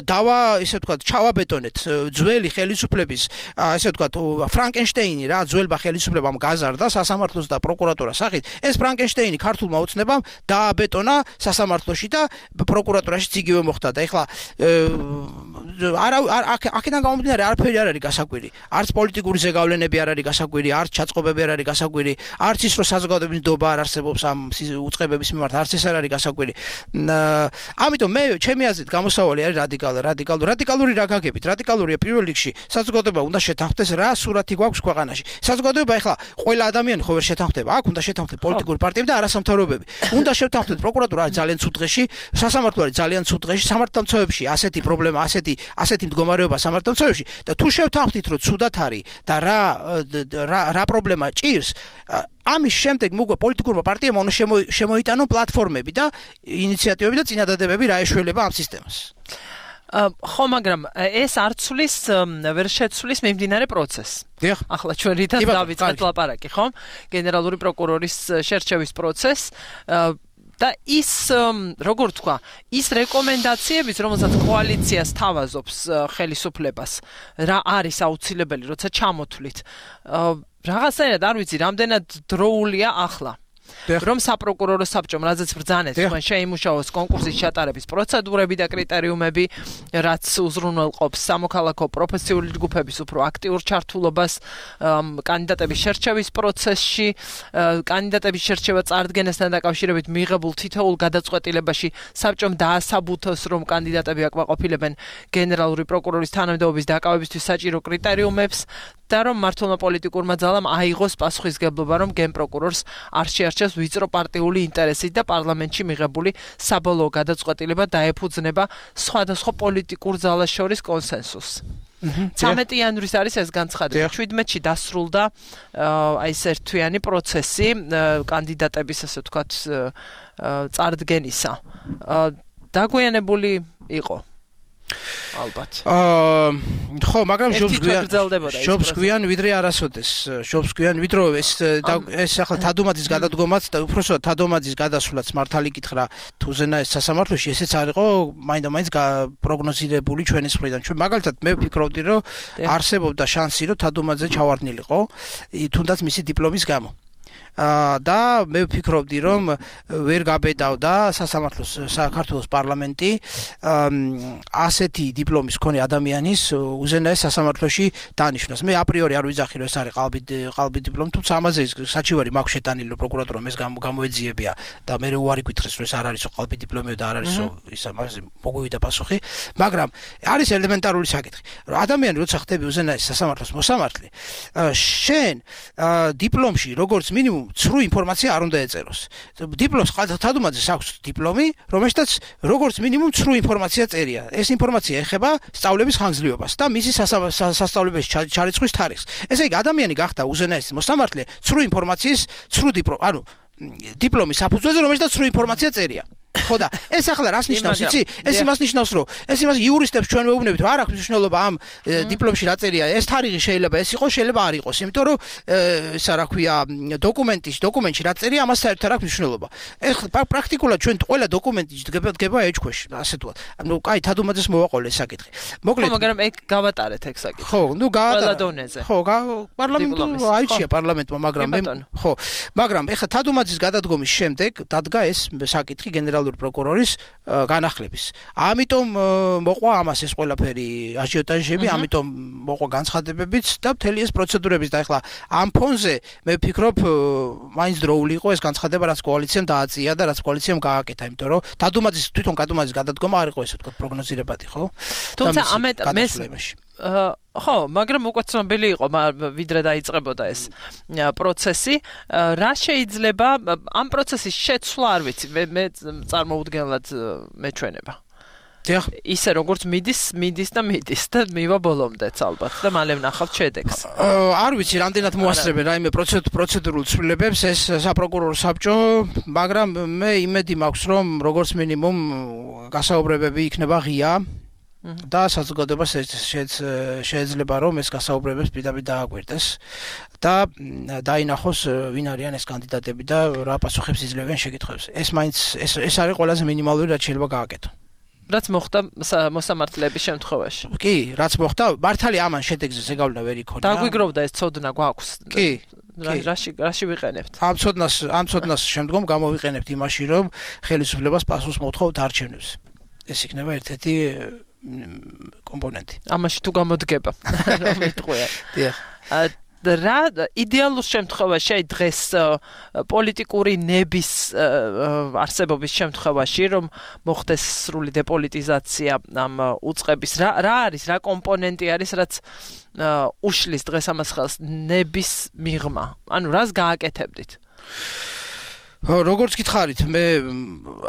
დავა, ესე ვთქვათ, ჩავაბეტონეთ ძველი ხელისუფლების, ესე ვთქვათ, ფრანკენშტეინი რა, ძველმა ხელისუფლებამ გაზარდა სასამართლოს და პროკურატურას სახით. ეს ფრანკენშტეინი ქართულმა ოცნებამ დააბეტონა სასამართლოში და პროკურატურაშიც იგივე მოხდა და ეხლა არა აქედან გამომდინარე არაფერი არ არის გასაკვირი. არც პოლიტიკური ზეგავლენები არ არის გასაკვირი, არც ჩაწყობები არ არის გასაკვირი, არც ის რომ საზოგადოების ნდობა არ არსებობს ამ უწყებების მიმართ, არც ეს არ არის გასაკვირი. ამიტომ მე ჩემი აზრით გამოსავალი არის რადიკალური, რადიკალური, რადიკალური რა გაგებით? რადიკალურია პირველ რიგში საზოგადოება უნდა შეთანხმდეს რა სურათი გვაქვს ქვეყანაში. საზოგადოება ეხლა ყველა ადამიანი ხო ვერ შეთანხმდება, აქ უნდა შეთანხმდეს პოლიტიკური პარტიები და არასამთავრობოები. უნდა შეთანხმდეს პროკურატურა არის ძალიან ცუდ დღეში, სასამართლო არის ძალიან ცუდ დღეში, სამართალდამცავებში ასეთი პრობლემა, ასეთი ასეთი მდგომარეობა სამართალდამცავებში და თუ შევთანხმდით რომ ცუდად არის და რა რა რა პრობლემა ჭირს, ამის შემდეგ მოგვა პოლიტიკურმა პარტიამ უნდა შემოიტანონ პლატფორმები და ინიციატივები და წინადადებები რა ეშველება ამ სისტემას. ხო, მაგრამ ეს არ ცვლის, ვერ შეცვლის მიმდინარე პროცესს. ახლა ჩვენ რითაც დავიწყეთ ლაპარაკი, ხო? გენერალური პროკურორის შერჩევის პროცესს და ის როგორ თქვა, ის რეკომენდაციების, რომელსაც კოალიციას თავაზობს ხელისუფლებას, რა არის აუცილებელი, როცა ჩამოთვლით. რაღაცნაირად არ ვიცი, რამდენად დროულია ახლა. რომ საპროკურორო საბჭომ, რაზეც ბრძანეთ, თქვენ შეიმუშაოს კონკურსის ჩატარების პროცედურები და კრიტერიუმები, რაც უზრუნველყოფს სამოქალაქო პროფესიული ჯგუფების უფრო აქტიურ ჩართულობას კანდიდატების შერჩევის პროცესში, კანდიდატების შერჩევა წარდგენასთან დაკავშირებით მიღებულ თითოეულ გადაწყვეტილებაში საბჭომ დაასაბუთოს, რომ კანდიდატები აკმაყოფილებენ გენერალური პროკურორის თანამდებობის დაკავებისთვის საჭირო კრიტერიუმებს და რომ მმართველმა პოლიტიკურმა ძალამ აიღოს პასუხისგებლობა, რომ გენპროკურორს არ შეარჩევს ვიწრო პარტიული ინტერესით და პარლამენტში მიღებული საბოლოო გადაწყვეტილება დაეფუძნება სხვადასხვა პოლიტიკურ ძალას შორის კონსენსუსს. ცამეტი იანვრის არის ეს განცხადება. შვიდმეტში დასრულდა აი ეს ერთთვიანი პროცესი კანდიდატების, ასე ვთქვათ, წარდგენისა. დაგვიანებული იყო. ალბათ. აა ხო, მაგრამ შობს გვიან ვიდრე არასოდეს. შობს გვიან ვიდრე ეს ეს ახლა თადუმაძის გადადგომაც და უпроსოდ თადუმაძის გადასვლაც მართალი კითხრა თუ ზენაეს სასამართლოში ესეც არ იყო მაინდა-მაინც პროგნოზირებული ჩვენი მხრიდან. ჩვენ მაგალითად მე ვფიქრობდი, რომ არსებობდა შანსი, რომ თადუმაძე ჩავარდნილიყო, თუნდაც მისი დიპლომის გამო. და მე ვფიქრობდი, რომ ვერ გაბედავდა სასამართლოს საქართველოს პარლამენტი ასეთი დიპლომის მქონე ადამიანის უზენაეს სასამართლოში დანიშნოს. მე აპრიორი არ ვიძახი, რომ ეს არის ყალბი ყალბი დიპლომი, თუმცა ამაზე საჩივარი მაქვს შეტანილი, რომ პროკურატურამ ეს გამოეძიებია და მე უარი გითხრეს, რომ ეს არ არის ყალბი დიპლომი და არ არის ის ამაზე მოგვივიდა პასუხი, მაგრამ არის ელემენტარული საკითხი, რომ ადამიანი როცა ხდები უზენაეს სასამართლოს მოსამართლე, შენ დიპლომში როგორც მინიმუმ ცრუ ინფორმაცია არ უნდა ეწეროს. დიპლომს თადუმაძეს აქვს დიპლომი, რომელშიც როგორც მინიმუმ ცრუ ინფორმაცია წერია. ეს ინფორმაცია ეხება სწავლების ხანგრძლივობას და მისი სასწავლებელში ჩარიცხვის თარიღს. ესე იგი, ადამიანი გახდა უზენაესი მოსამართლე ცრუ ინფორმაციის, ცრუ დიპლომი, ანუ დიპლომის საფუძველზე, რომელშიც ცრუ ინფორმაცია წერია. ხო და ეს ახლა რას ნიშნავს იცი ეს იმას ნიშნავს რომ ეს იმას იურისტებს ჩვენ ვეუბნებით რომ არ აქვს მნიშვნელობა ამ დიპლომში რა წერია ეს თარიღი შეიძლება ეს იყოს შეიძლება არ იყოს იმიტომ რომ ესა რა ქვია დოკუმენტის დოკუმენტში რა წერია ამას საერთოდ არ აქვს მნიშვნელობა ეხლა პრაქტიკულად ჩვენ ყველა დოკუმენტი დგება ეჭქვეშ ასე თქვა ანუ კაი თადუმაძეს მოვაყოლე ეს საკითხი მოკლედ მაგრამ ეგ გავატარეთ ეგ საკითხი ხო ნუ გავატარა დონეზე ხო პარლამენტი აიჩია პარლამენტმა მაგრამ მე ხო მაგრამ ეხლა თადუმაძის გადადგომის შემდეგ დადგა ეს საკითხი გენერალური პროკურორის განახლების ამიტომ მოყვა ამას ეს ყველაფერი აჟიოტაჟები ამიტომ მოყვა განცხადებებიც და მთელი ეს პროცედურების და ეხლა ამ ფონზე მე ვფიქრობ მაინც დროული იყო ეს განცხადება რაც კოალიციამ დააწია და რაც კოალიციამ გააკეთა იმიტომ რომ თადუმაძის თვითონ თადუმაძის გადადგომა არ იყო ესე ვთქვათ პროგნოზირებადი ხო თუმცა ამ ეტაპში ხო, მაგრამ უკვე ცნობილი იყო, ვიდრე დაიწყებოდა ეს პროცესი, რა შეიძლება ამ პროცესის შეცვლა არ ვიცი, მე მე წარმოუდგენლად მეჩვენება. დიახ. ისე როგორც მიდის, მიდის და მიდის და მივა ბოლომდეც ალბათ და მალე ვნახავთ შედეგს. არ ვიცი, რამდენად მოასწრებენ რაიმე პროცედურულ ცვლილებებს ეს საპროკურორო საბჭო, მაგრამ მე იმედი მაქვს, რომ როგორც მინიმუმ გასაუბრებები იქნება ღია. და საზოგადოებას შეიძლება რომ ეს გასაუბრებებს პირდაპირ დააკვირდეს და დაინახოს ვინ არიან ეს კანდიდატები და რა პასუხებს იძლევენ შეკითხვებს. ეს მაინც ეს ეს არის ყველაზე მინიმალური რაც შეიძლება გააკეთო. რაც მოხდა მოსამართლეების შემთხვევაში. კი, რაც მოხდა, მართალი ამან შედეგზე ზეგავლენა ვერ იქონია. დაგვიგროვდა ეს ცოდნა გვაქვს. კი. რაში რაში ვიყენებთ? ამ ცოდნას ამ ცოდნას შემდგომ გამოვიყენებთ იმაში რომ ხელისუფლებას პასუხს მოთხოვთ არჩევნებს. ეს იქნება ერთ-ერთი კომპონენტი. ამაში თუ გამოდგება. რომ იტყვია. დიახ. რა იდეალურ შემთხვევაში აი დღეს პოლიტიკური ნების არსებობის შემთხვევაში რომ მოხდეს სრული დეპოლიტიზაცია ამ უწყების რა რა არის რა კომპონენტი არის რაც უშლის დღეს ამას ხელს ნების მიღმა ანუ რას გააკეთებდით როგორც გითხარით მე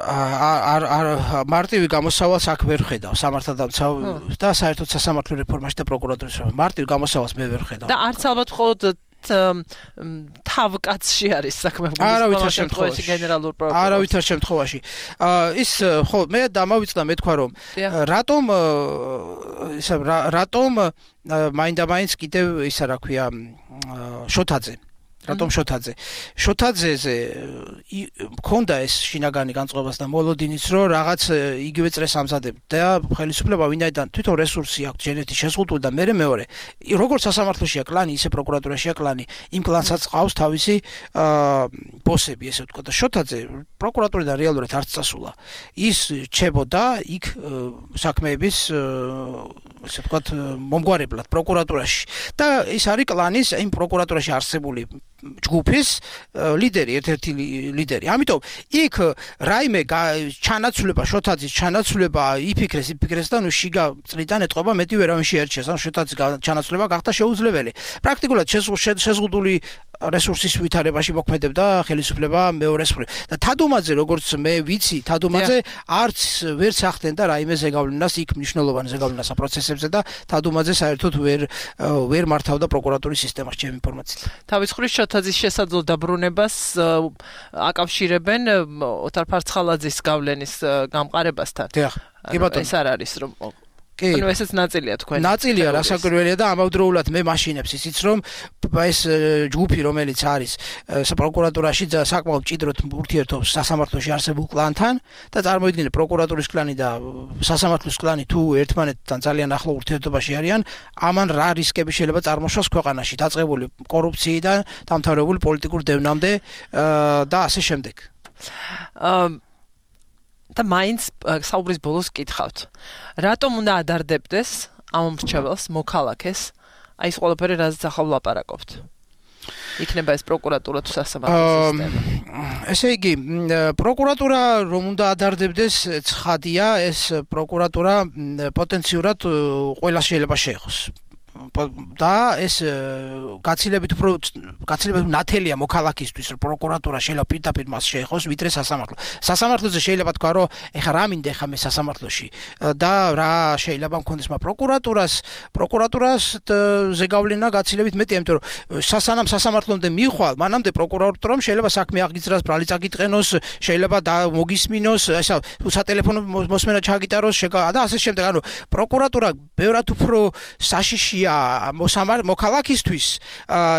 არ არ მარტივი გამოსავალს აქ ვერ ხედავ სამართალდამცავ და საერთოდ სასამართლო რეფორმაში და პროკურატურის მარტივი გამოსავალს მე ვერ ხედავ და არც ალბათ მხოლოდ თავკაცში არის საქმე არავითარ შემთხვევაში გენერალურ პროკურორს არავითარ შემთხვევაში ის ხო მე დამავიწყდა მე თქვა რომ რატომ ისა რატომ მაინდა-მაინც კიდევ ისა რა ქვია შოთაძე რატომ შოთაძე შოთაძეზე მქონდა ეს შინაგანი განწყობას და მოლოდინიც რომ რაღაც იგივე წრეს ამზადებდა და ხელისუფლება ვინაიდან თვითონ რესურსი აქვს ჯერეთი შეზღუდული და მეორე მეორე როგორც სასამართლოშია კლანი ისე პროკურატურაშია კლანი იმ კლანსაც ყავს თავისი ბოსები ესე ვთქვა და შოთაძე პროკურატურიდან რეალურად არც წასულა ის რჩებოდა იქ საქმეების ესე ვთქვა მომგვარებლად პროკურატურაში და ის არის კლანის იმ პროკურატურაში არსებული ჯგუფის ლიდერი, ერთ-ერთი ლიდერი. ამიტომ იქ რაიმე ჩანაცვლება, შოთაძის ჩანაცვლება იფიქრეს, იფიქრეს და ნუ შიგა წლიდან ეტყობა მეტი ვერავინ შეერჩიეს, ან შოთაძის ჩანაცვლება გახდა შეუძლებელი. პრაქტიკულად შეზღუდული რესურსის ვითარებაში მოქმედებდა ხელისუფლება მეორეს მხრივ. და თადუმაძე, როგორც მე ვიცი, თადუმაძე არც ვერ სახდენდა რაიმე ზეგავლენას იქ მნიშვნელოვანი ზეგავლენას პროცესებზე და თადუმაძე საერთოდ ვერ ვერ მართავდა პროკურატურის სისტემას ჩემი ინფორმაციით. თავის მხრივ შოთაძის შესაძლო დაბრუნებას აკავშირებენ ოთარ ფარცხალაძის გავლენის გამყარებასთან. დიახ, კი ბატონო. ეს არ არის რომ კი. ანუ ესეც ნაწილია თქვენ. ნაწილია რასაკვირველია და ამავდროულად მე მაშინებს ისიც რომ ეს ჯგუფი რომელიც არის პროკურატურაში საკმაოდ მჭიდროდ ურთიერთობს სასამართლოში არსებულ კლანთან და წარმოიდგინეთ პროკურატურის კლანი და სასამართლოს კლანი თუ ერთმანეთთან ძალიან ახლო ურთიერთობაში არიან, ამან რა რისკები შეიძლება წარმოშოს ქვეყანაში დაწყებული კორუფციიდან დამთავრებული პოლიტიკურ დევნამდე და ასე შემდეგ. აა და მაინც საუბრის ბოლოს კითხავთ. რატომ უნდა ადარდებდეს ამ მრჩეველს, მოქალაქეს, აი ეს ყველაფერი რაზეც ახლა ვლაპარაკობთ? იქნება ეს პროკურატურა თუ სასამართლო სისტემა. ესე იგი, პროკურატურა რომ უნდა ადარდებდეს, ცხადია, ეს პროკურატურა პოტენციურად ყველას შეიძლება შეეხოს. და ეს გაცილებით უფრო გაცილებით ნათელია მოქალაქისთვის, რომ პროკურატურა შეიძლება პირდაპირ მას შეეხოს, ვიდრე სასამართლო. სასამართლოზე შეიძლება თქვა, რომ ეხა რა მინდა ეხა მე სასამართლოში და რა შეიძლება მქონდეს მაგ პროკურატურას, პროკურატურას ზეგავლენა გაცილებით მეტი, იმიტომ რომ სასანამ სასამართლომდე მიხვალ, მანამდე პროკურატურამ შეიძლება საქმე აღიძრას, ბრალი წაკიტყენოს, შეიძლება და მოგისმინოს, ესა სატელეფონო მოსმენა ჩაგიტაროს და ასე შემდეგ. ანუ პროკურატურა ბევრად უფრო საშიშია მოსამარ მოქალაქისთვის,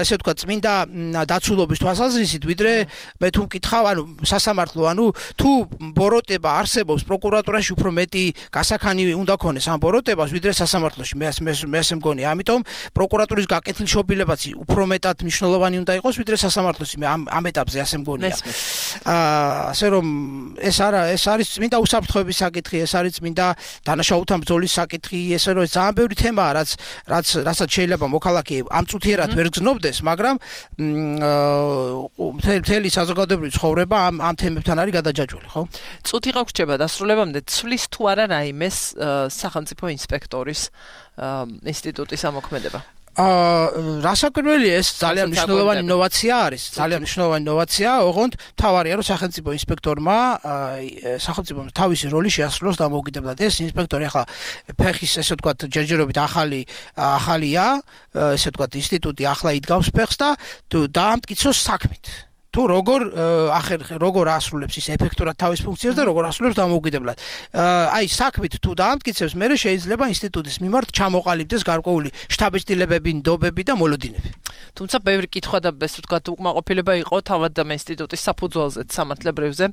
ესე ვთქვა, წმინდა დაცულობის თვალსაზრისით, ვიდრე მე თუ მკითხავ, ანუ სასამართლო, ანუ თუ ბოროტება არსებობს პროკურატურაში უფრო მეტი გასახანი უნდა ქონდეს ამ ბოროტებას, ვიდრე სასამართლოში. მე მე ასე მგონია. ამიტომ პროკურატურის გაკეთილშობილებაც უფრო მეტად მნიშვნელოვანი უნდა იყოს, ვიდრე სასამართლოში. მე ამ ამ ეტაპზე ასე მგონია. აა ასე რომ ეს არა, ეს არის წმინდა უსაფრთხოების საკითხი, ეს არის წმინდა დანაშაულთან ბრძოლის საკითხი, ესე რომ ძალიან ბევრი თემაა, რაც რაც რასაც შეიძლება მოქალაქე ამწუთიერად ვერ გზნობდეს, მაგრამ მთელი საზოგადოებრივი ცხოვრება ამ ამ თემებთან არის გადაჯაჭვული, ხო? წუთი რა გრჩება დასრულებამდე, ცვლის თუ არა რაიმეს სახელმწიფო ინსპექტორის ინსტიტუტის ამოქმედება? აა რასაკვირველია, ეს ძალიან მნიშვნელოვანი ინოვაცია არის, ძალიან მნიშვნელოვანი ინოვაცია, ოღონდ თავარია, რომ სახელმწიფო ინსპექტორმა სახელმწიფო თავისი როლი შეასრულოს დამოუკიდებლად. ეს ინსპექტორი ახლა ფეხის, ესე ვთქვათ, ჯერჯერობით ახალი ახალია, ესე ვთქვათ, ინსტიტუტი ახლა იდგავს ფეხს და დაამტკიცოს საქმით. თუ როგორ ახერ როგორ ასრულებს ის ეფექტურად თავის ფუნქციას და როგორ ასრულებს დამოუკიდებლად. აი საქმით თუ დაამტკიცებს, მე შეიძლება ინსტიტუტის მიმართ ჩამოყალიბდეს გარკვეული შთაბეჭდილებები, ნდობები და მოლოდინები. თუმცა ბევრი კითხვა და ესე ვთქვათ, უკმაყოფილება იყო თავად და ინსტიტუტის საფუძველზე, სამართლებრივზე.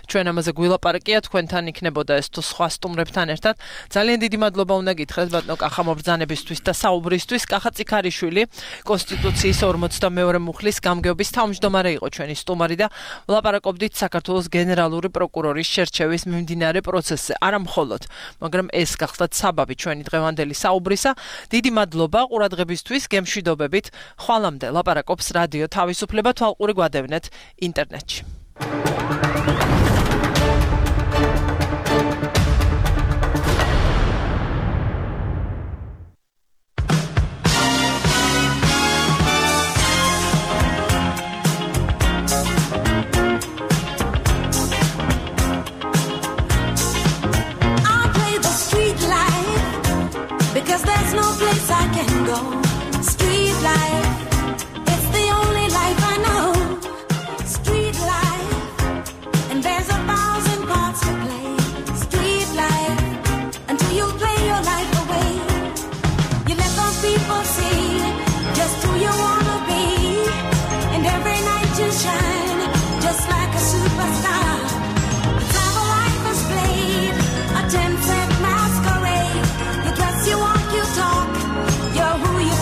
ჩვენ ამაზე გვილაპარაკია, თქვენთან იქნებოდა ეს თუ სხვა სტუმრებთან ერთად. ძალიან დიდი მადლობა უნდა გითხრათ ბატონო კახა მობრძანებისთვის და საუბრისთვის. კახა წიქარიშვილი, კონსტიტუციის ორმოცდამეორე მუხლის გამგეობის თავმჯდომარე იყო ჩვენ სტუმარი და ვლაპარაკობდით საქართველოს გენერალური პროკურორის შერჩევის მიმდინარე პროცესზე. არა მხოლოდ, მაგრამ ეს გახლდათ საბაბი ჩვენი დღევანდელი საუბრისა. დიდი მადლობა ყურადღებისთვის, გემშვიდობებით. ხვალამდე ლაპარაკობს რადიო თავისუფლება, თვალყური გვადევნეთ ინტერნეტში. Because there's no place I can go. Street life, it's the only life I know. Street life, and there's a thousand parts to play. Street life, until you play your life away. You let those people see just who you wanna be, and every night you shine just like a superstar. It's how a life is played, a ten-cent masquerade. You dress, you walk, you talk, you're who you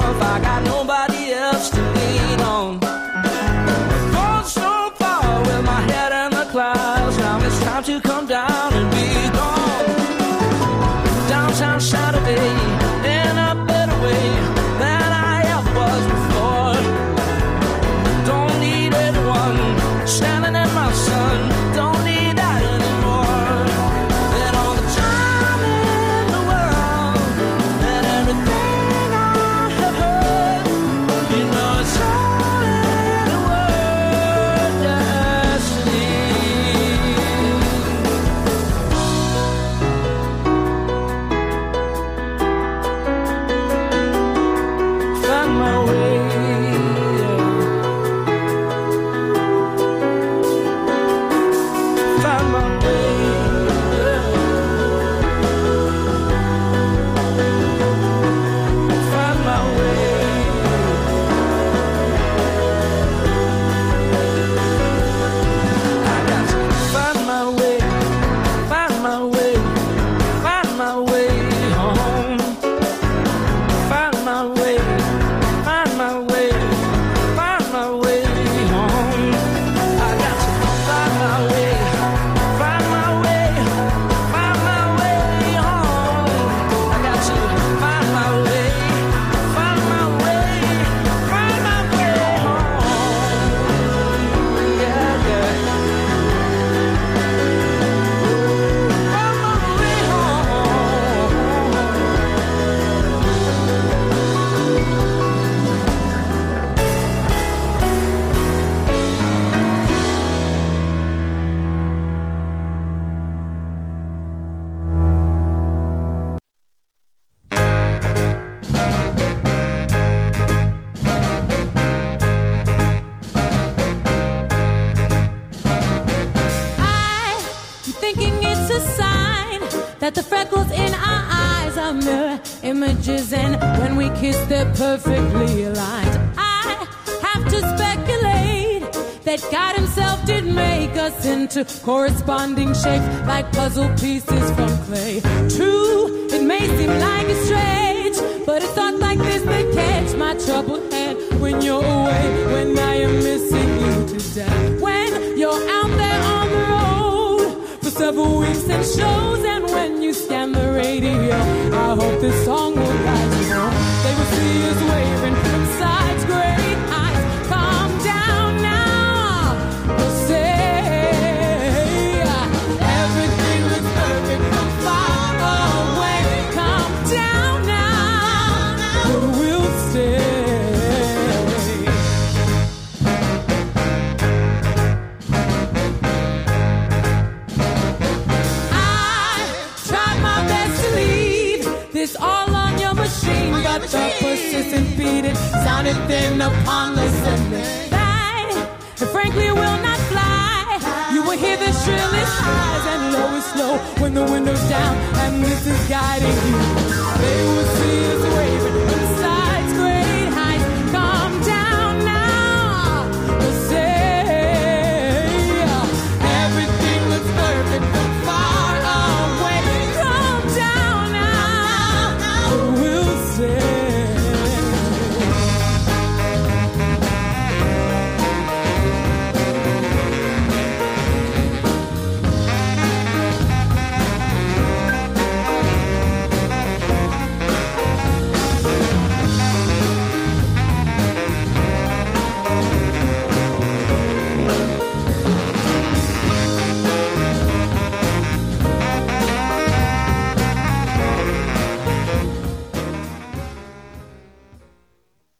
off. I got nobody else to lean on. Gone so far with my head in the clouds. Now it's time to come down and be gone. Downtown Saturday, in a better way than I ever was before. Don't need anyone standing in my sun. Don't need that anymore. And all the time in the world, and everything I have heard, you know it's all in the word destiny. Find my way, yeah. Find my way, yeah. Find my way. I got to find my way, find my way, find my way home. Find my way, find my way, find my way home. I got to find my way, find my way, find my way home. I got to find my way, find my way, find my way home. Yeah, yeah. Find my way home. I keep thinking it's a sign that the freckles in our eyes are mirror images, and when we kiss, they're perfectly aligned. I have to speculate that God Himself did make us into corresponding shapes like puzzle pieces from clay. True, it may seem like it's strange, but it's thoughts like this that catch my troubled head when you're away, when I am missing you today. When you're out there on the road for several weeks and shows, and when you scan the radio, I hope this song will guide you home. They will see us waving from sides, great heights. Calm down now. We'll say everything looks perfect from far away. Calm down now. But we'll stay. I tried my best to leave this all on your machine, but the persistent beating sounded thin upon the cement. And frankly, it will not fly. You will hear the shrillest highs and lowest low when the window's down, and this is guiding you. They will see us waving from